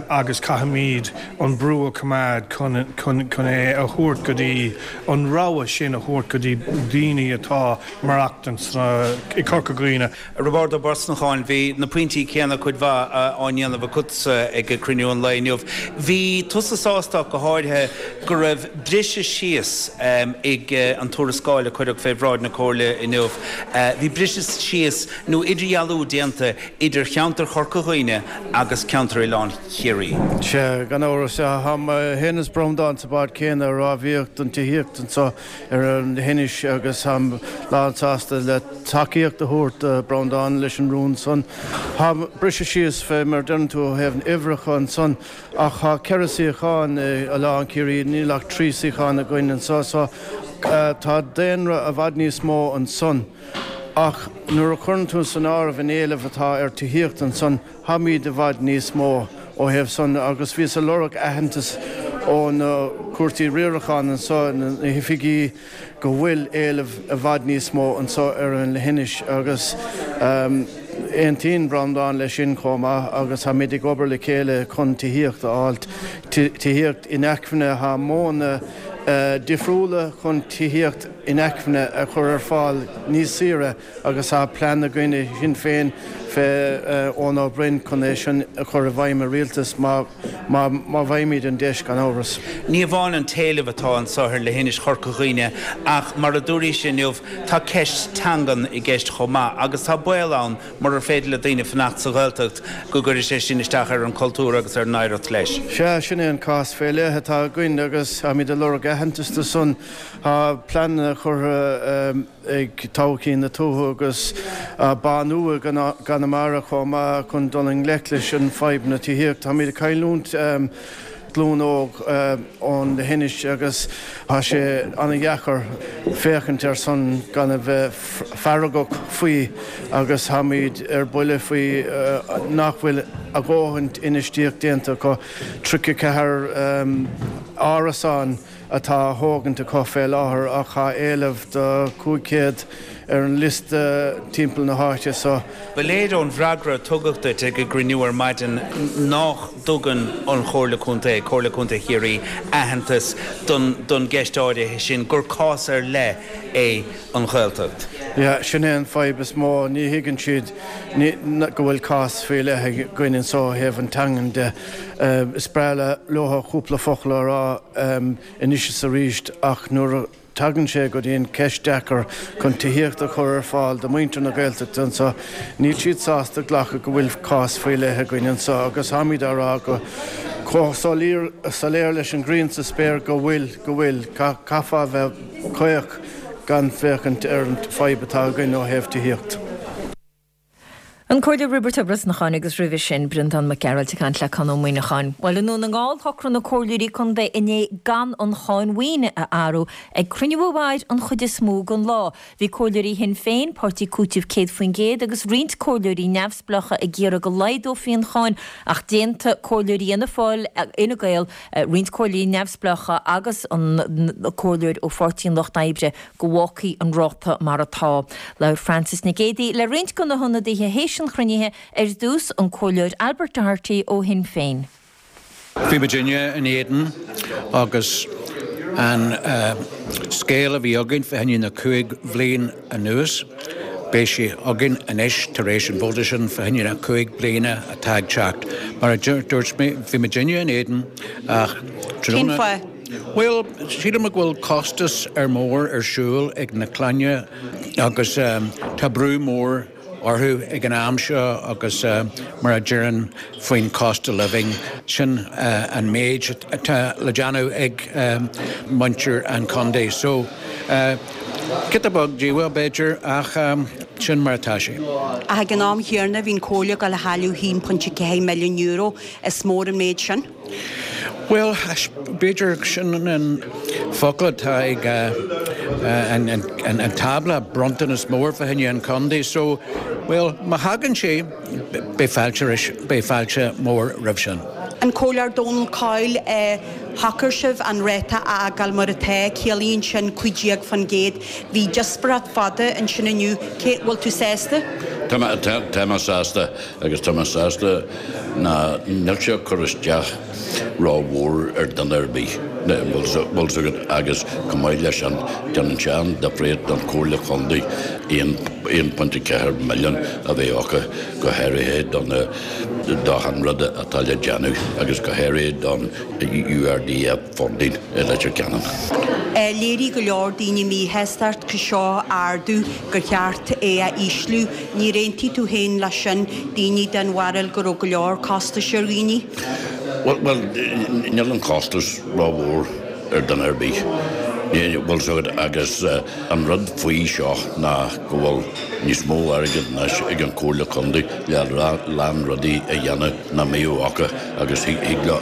agus caithfimid an brú a choimeád chun é a thabhairt go dtí an rogha sin a thabhairt go dtí daoine atá maireachtaint i Corca Dhuibhne. Roibeárd Ó Brosnacháin, Bhí na pointí céanna cuid mhaith á ndéanamh agatsa ag cruinniú an lae inniu. Bhí tusa sásta ach go háirithe go raibh briseadh síos ag an tuarascáil a cuireadh fé bhráid na Comhairle inniu. Bhí briseadh síos nó idirdhealú déanta idir cheantar Chorca Dhuibhne agus ceantar Oileán Chiarraí. Sea, gan amhras. Tá mé féin is Breandán sa bád céanna ag rámhaíocht don tithíocht anseo ar an leithinis agus táim lán sásta le tacaíocht a thabhairt do Breandán leis an rún san. Tá briseadh síos fé mar a deireann tú ó thaobh na uimhreacha ansan ach tá 4 suíochán i Oileán Ciarraí, níl ach 3 suíochán againn anso so tá daonra i bhfad níos mó ansan. Ach nuair a chuireann tú san áireamh an éileamh atá ar tithíocht ansan, táimid i bhfad níos mó ó thaobh san agus bhíos ag lorg aitheantas ó na cúrsaí riaracháin anso, na hoifigí, go bhfuil éileamh i bhfad níos mó anso ar an leithinis agus aontaíonn Breandán leis sin chomh maith agus táimid ag obair le chéile chun tithíocht a fháilt, tithíocht inacmhainne, tá modhanna difriúla chun tithíocht inacmhainne a chur ar fáil níos saoire agus tá plean againn i Sinn Féin fé Eoin Ó Broin chun é sin a chur i bhfeidhm i rialtas má má bhfaighimid an deis gan amhras. Ní amháin an t-éileamh atá anso ar leithinis Chorca Dhuibhne ach mar a dúraís inniu tá ceist teangan i gceist chomh maith agus tá baol ann murar féidir le daoine fanacht sa Ghaeltacht go gcuirfidh sé sin isteach ar an chultúr agus ar an oidhreacht leis. Sea, sin é an cás fé leith atá againn agus táimid ag lorg aitheantas do san. Tá pleananna curtha ag Todhchaí na Tuaithe agus Bánú i gConamara chomh maith chun dul i ngleic leis an fadhb na tithíochta. Táimid ag cailliúint glúin óg ón leithinis agus tá sé an-dheacair féachaint ar san gan a bheith feargach faoi agus táimid ar buile faoi nach bhfuil a dhóthain infheistíocht déanta acu. 34 árasán atá á thógaint acu fé láthair ach tá éileamh do 500 ar an liosta timpeall na háite so. Ba léir ón bhfreagra a tugadh duit ag an gcruinniú ar maidin nách dtugann an Chomhairle Contae, Comhairle Contae Chiarraí, aitheantas don don gceist áirithe sin, gur cás ar leith é an Ghaeltacht. Yeah, sin é an fadhb is mó, ní thuigeann siad go bhfuil cás faoi leith againn anso ó thaobh an teangan de. Is breá leo cúpla focal a rá anois is arís ach nuair a tagann sé go dtí an ceist deacair chun tithíocht a chur ar fáil do muintir na Gaeltachta anso, níl siad sásta glacadh go bhfuil cás faoi leith againn anso agus táimid á rá go chomh soiléir leis an ghrian sa spéir go bhfuil, go bhfuil. Caithfeá a bheith caoch gan féachaint ar an fadhb atá againn ó thaobh tithíocht. An Comhairleoir Roibeard Ó Brosnacháin agus roimhe sin Breandán Mac Gearailt ag caint le Conn Ó Muíneacháin. Bhuel, i nDún na nGall, shocraigh na comhairleoirí contae inné gan an cháin mhaoine a athrú ag cruinniú a mhair an chuid is mó den lá. Bhí comhairleoirí Shinn Féin, Páirtí Cúitimh 100% agus roinnt comhairleoirí neamhspleácha ag iarraidh go laghdófaí an cháin ach d'aontaigh comhairleoirí Fhianna Fáil, Fhine Gael, roinnt comhairleoirí neamhspleácha agus an comhairleoir ó Pháirtí an Lucht Oibre go bhfágfaí an ráta mar atá. Labhair Frances Nic Géadaigh le roinnt de na hionadaithe théis an chruinnithe, ar dtús an Comhairleoir Albert Doherty ó Shinn Féin. Bhí muidinne in éadan agus an scéal a bhí againn fá choinne na 5 bhliain anuas, beidh sé againn anois tar éis an vóta sin fá choinne na 5 bliana atá ag teacht. Mar a dúirt mé, bhí muidinne in éadan ach Cén fáth? Bhuel, sílim go bhfuil costas ar mór ar siúl ag na clainne agus tá brú mór orthu ag an am seo agus mar a deireann faoin cost of living, sin an méid atá le déanamh ag muintir an chontae. So, giota beag díomá b'fhéidir ach. Sin mar atá sé. Ach ag an am chéanna bhí an Comhairle ag dul a chailleadh €1.4 milliún, is mór an méid sin. Bhuel, b'fhéidir sin an focal atá ag an tábla, bronntanas mór fá choinne an chontae. So, bhuel, má thagann sé, beidh fáilte, beidh fáilte mór roimh sin. An Comhairleoir Donal Coyle, Shocair sibh an ráta a fhágáil mar atá, ciallaíonn sin 15%. Bhí díospóireacht fada ansin inniu, cé, bhfuil tú sásta? Tá mé, tá mé sásta agus tá mé sásta ná níl sé ag cur isteach ró-mhór ar duine ar bith, bhfuil fhios agat, agus chomh maith leis sin déanann sé an-difríocht don Chomhairle Chontae 1.4 milliún a bheith acu go háirithe do na do achan rud atá le déanamh agus go háirithe don URDF funding i Leitir Ceanainn. Léirigh go leor daoine míshástacht go seo ardú gur cheart é a ísliú. Níor aontaigh tú féin leis sin, daoine den bharúil go raibh go leor costais ar dhaoine? Bhuel, níl an costas rómhór ar duine ar bith, bhfuil fhios agat, agus an rud faoi seo ná go bhfuil níos mó airgid anois ag an Chomhairle Contae le a lán rudaí a dhéanamh nach mbeadh acu agus thig leo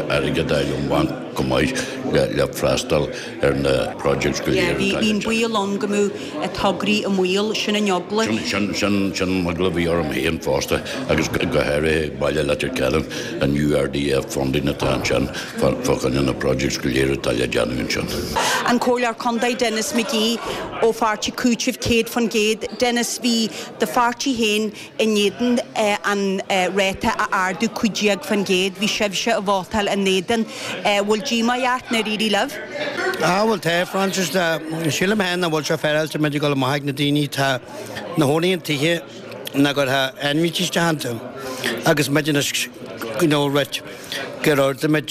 airgead a fháil ón bhanc go maith le freastal ar na projects go léir atá le Bhí an baol ann go mbeadh tograí i mbaol, sin an eagla. Sin an eagla a bhí orm féin fosta agus go háirithe Baile Leitir Ceanainn, an URDF funding atá ansin fá choinne na projects go léir atá le déanamh ansin. An Comhairleoir Contae Denis McGee ó pháirtí Cúiteamh 100%. Denis, bhí do pháirtí féin in éadan an ráta a ardú 15%. Bhí sibhse ag vótáil in éadan. Bhfuil díomá ort nár éirigh libh? Ah bhuel tá, Francis. Sílim féin nach bhfuil sé féaráilte muid ag dul amach ag na daoine atá ina chónaí in tithe nach gcuirfeadh ainmhithe isteach iontu agus muid anois you know right gur ardaigh muid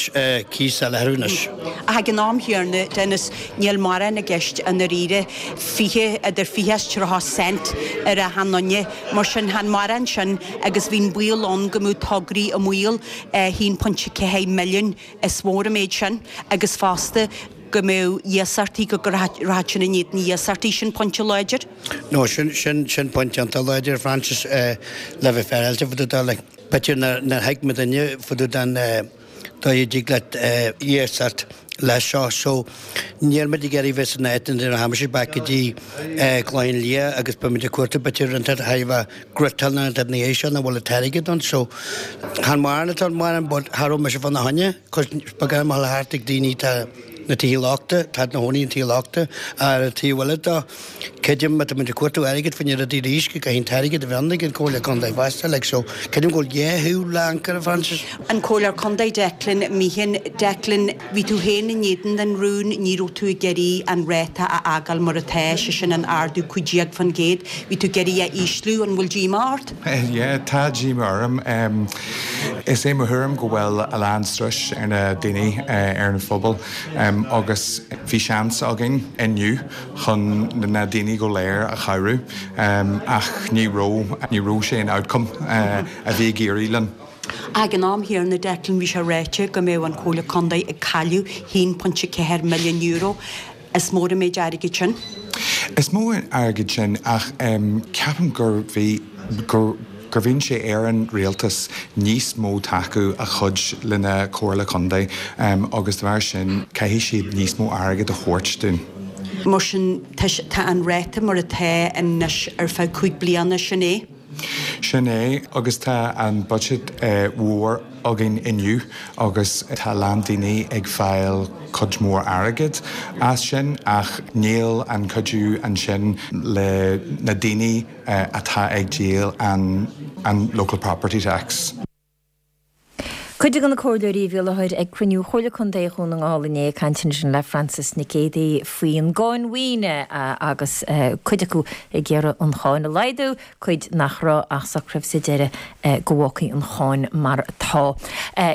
cíos eile orthu anois. Ach ag an am chéanna, Denis, níl mórán i gceist i ndáiríre, 20, idir 20 is 30 cent ar achan nduine. Mar sin, chan mórán sin agus bhí an baol ann go mbeadh tograí i mbaol, 1.4 milliún, is mór an méid sin, agus fosta go mbeadh iasachtaí, go rachadh sin in éadan iasachtaí, sin pointe láidir. No, sin, sin, sin pointe iontach láidir, Francis, le bheith féaráilte fá dtaobh de, like. B'fhéidir nár thuig muidinne fá dtaobh den dóigh a dtig leat iasacht leis seo. So, níl muid ag iarraidh bheith san áit ina rachaidh muid back go dtí Clochán Liath agus beidh muid ag cuartú b'fhéidir an t-ath bheith griotáil nó an t-ath na dhiaidh seo nach bhfuil an t-airgead ann. So, chan mórán atá ann mórán but cha raibh mise fána choinne 'cause ba gá mo thart ag daoine tá na tithe lochta, tá ina chónaí in tithe lochta ar an taobh eile de. Creidim má tá muid ag cuartú airgid fá choinne rudaí arís go gcaithfidh an t-airgead a bheith ann ag an Comhairle Contae fosta like so creidim go bhfuil dhá thaobh le ancaire Francis. An Comhairleoir Contae Declan Meehan, Declan, bhí tú féin in éadan an rúin, ní raibh tú ag iarraidh an ráta a fhágáil mar atá, sé sin an ardú 15%, bhí tú ag iarraidh é a ísliú, an bhfuil díomá ort? Yeah, tá díomá orm. Is é mo thuairim go bhfuil a lán struis ar na daoine, ar an phobal agus bhí seans againn inniu chun na daoine go léir a chabhrú ach ní raibh, ní raibh sé an outcome a bhí ag éirí linn. Ag an am chéanna, Declan, bhí sé ráite go mbeadh an Comhairle Contae ag cailleadh €1.4 milliún. Is mór an méid airgid sin. Is mór an airgead sin ach ceapaim gur bhí, gur, gur bhí sé ar an rialtas níos mó tacú a chuid lena Comhairle Contae agus de bharr sin caithfidh siad níos mó airgead a thabhairt dúinn. Mar sin tá an ráta mar atá anois ar feadh 5 bliana, sin é? Sin é agus tá an budget mhór againn inniu agus tá a lán daoine ag fáil cuid mhór airgead as sin ach níl an cuidiú ansin le na daoine atá ag díol an an local property tax. Cuid de na comhairleoirí a bhí i láthair ag cruinniú Chomhairle Contae Dhún na nGall inné ag caint ansin le Frances Nic Géadaigh faoin gcáin mhaoine agus cuid acu ag iarraidh an cháin a laghdú, cuid nach raibh ach socraíodh sa deireadh go bhfágfaí an cháin mar atá.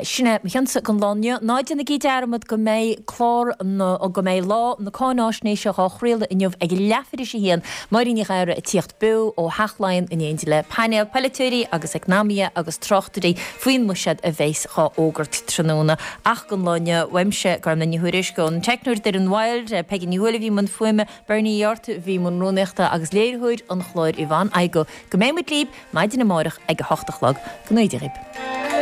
Sin é mo chionsa don lá inniu. Ná déanaigí dearmad go mbeidh clár na, go mbeidh Lá na Cáináisnéise dhá chraoladh inniu ag leathuair tar éis a haon, Máirín Ní Ghadhra ag tíocht beo ó Theach Laighean in éindí le painéal polaiteoirí agus eacnamaithe agus tráchtairí faoin mbuiséad a bheas. dhá fhógairt tráthnóna. Ach don lá inniu, uaimse, Gormfhlaith Ní Thuairisg, ón teicneoir Doireann Wilde, Peigí Ní Thuathail a bhí i mbun fuaime, Bernie Uí Fhátharta a bhí i mbun rúnaíochta agus léiritheoir an chláir Yvonne Igoe. Go mbeidh muid libh maidin amárach ag a hocht a chlog. Go ngnóthaí Dia dhaoibh.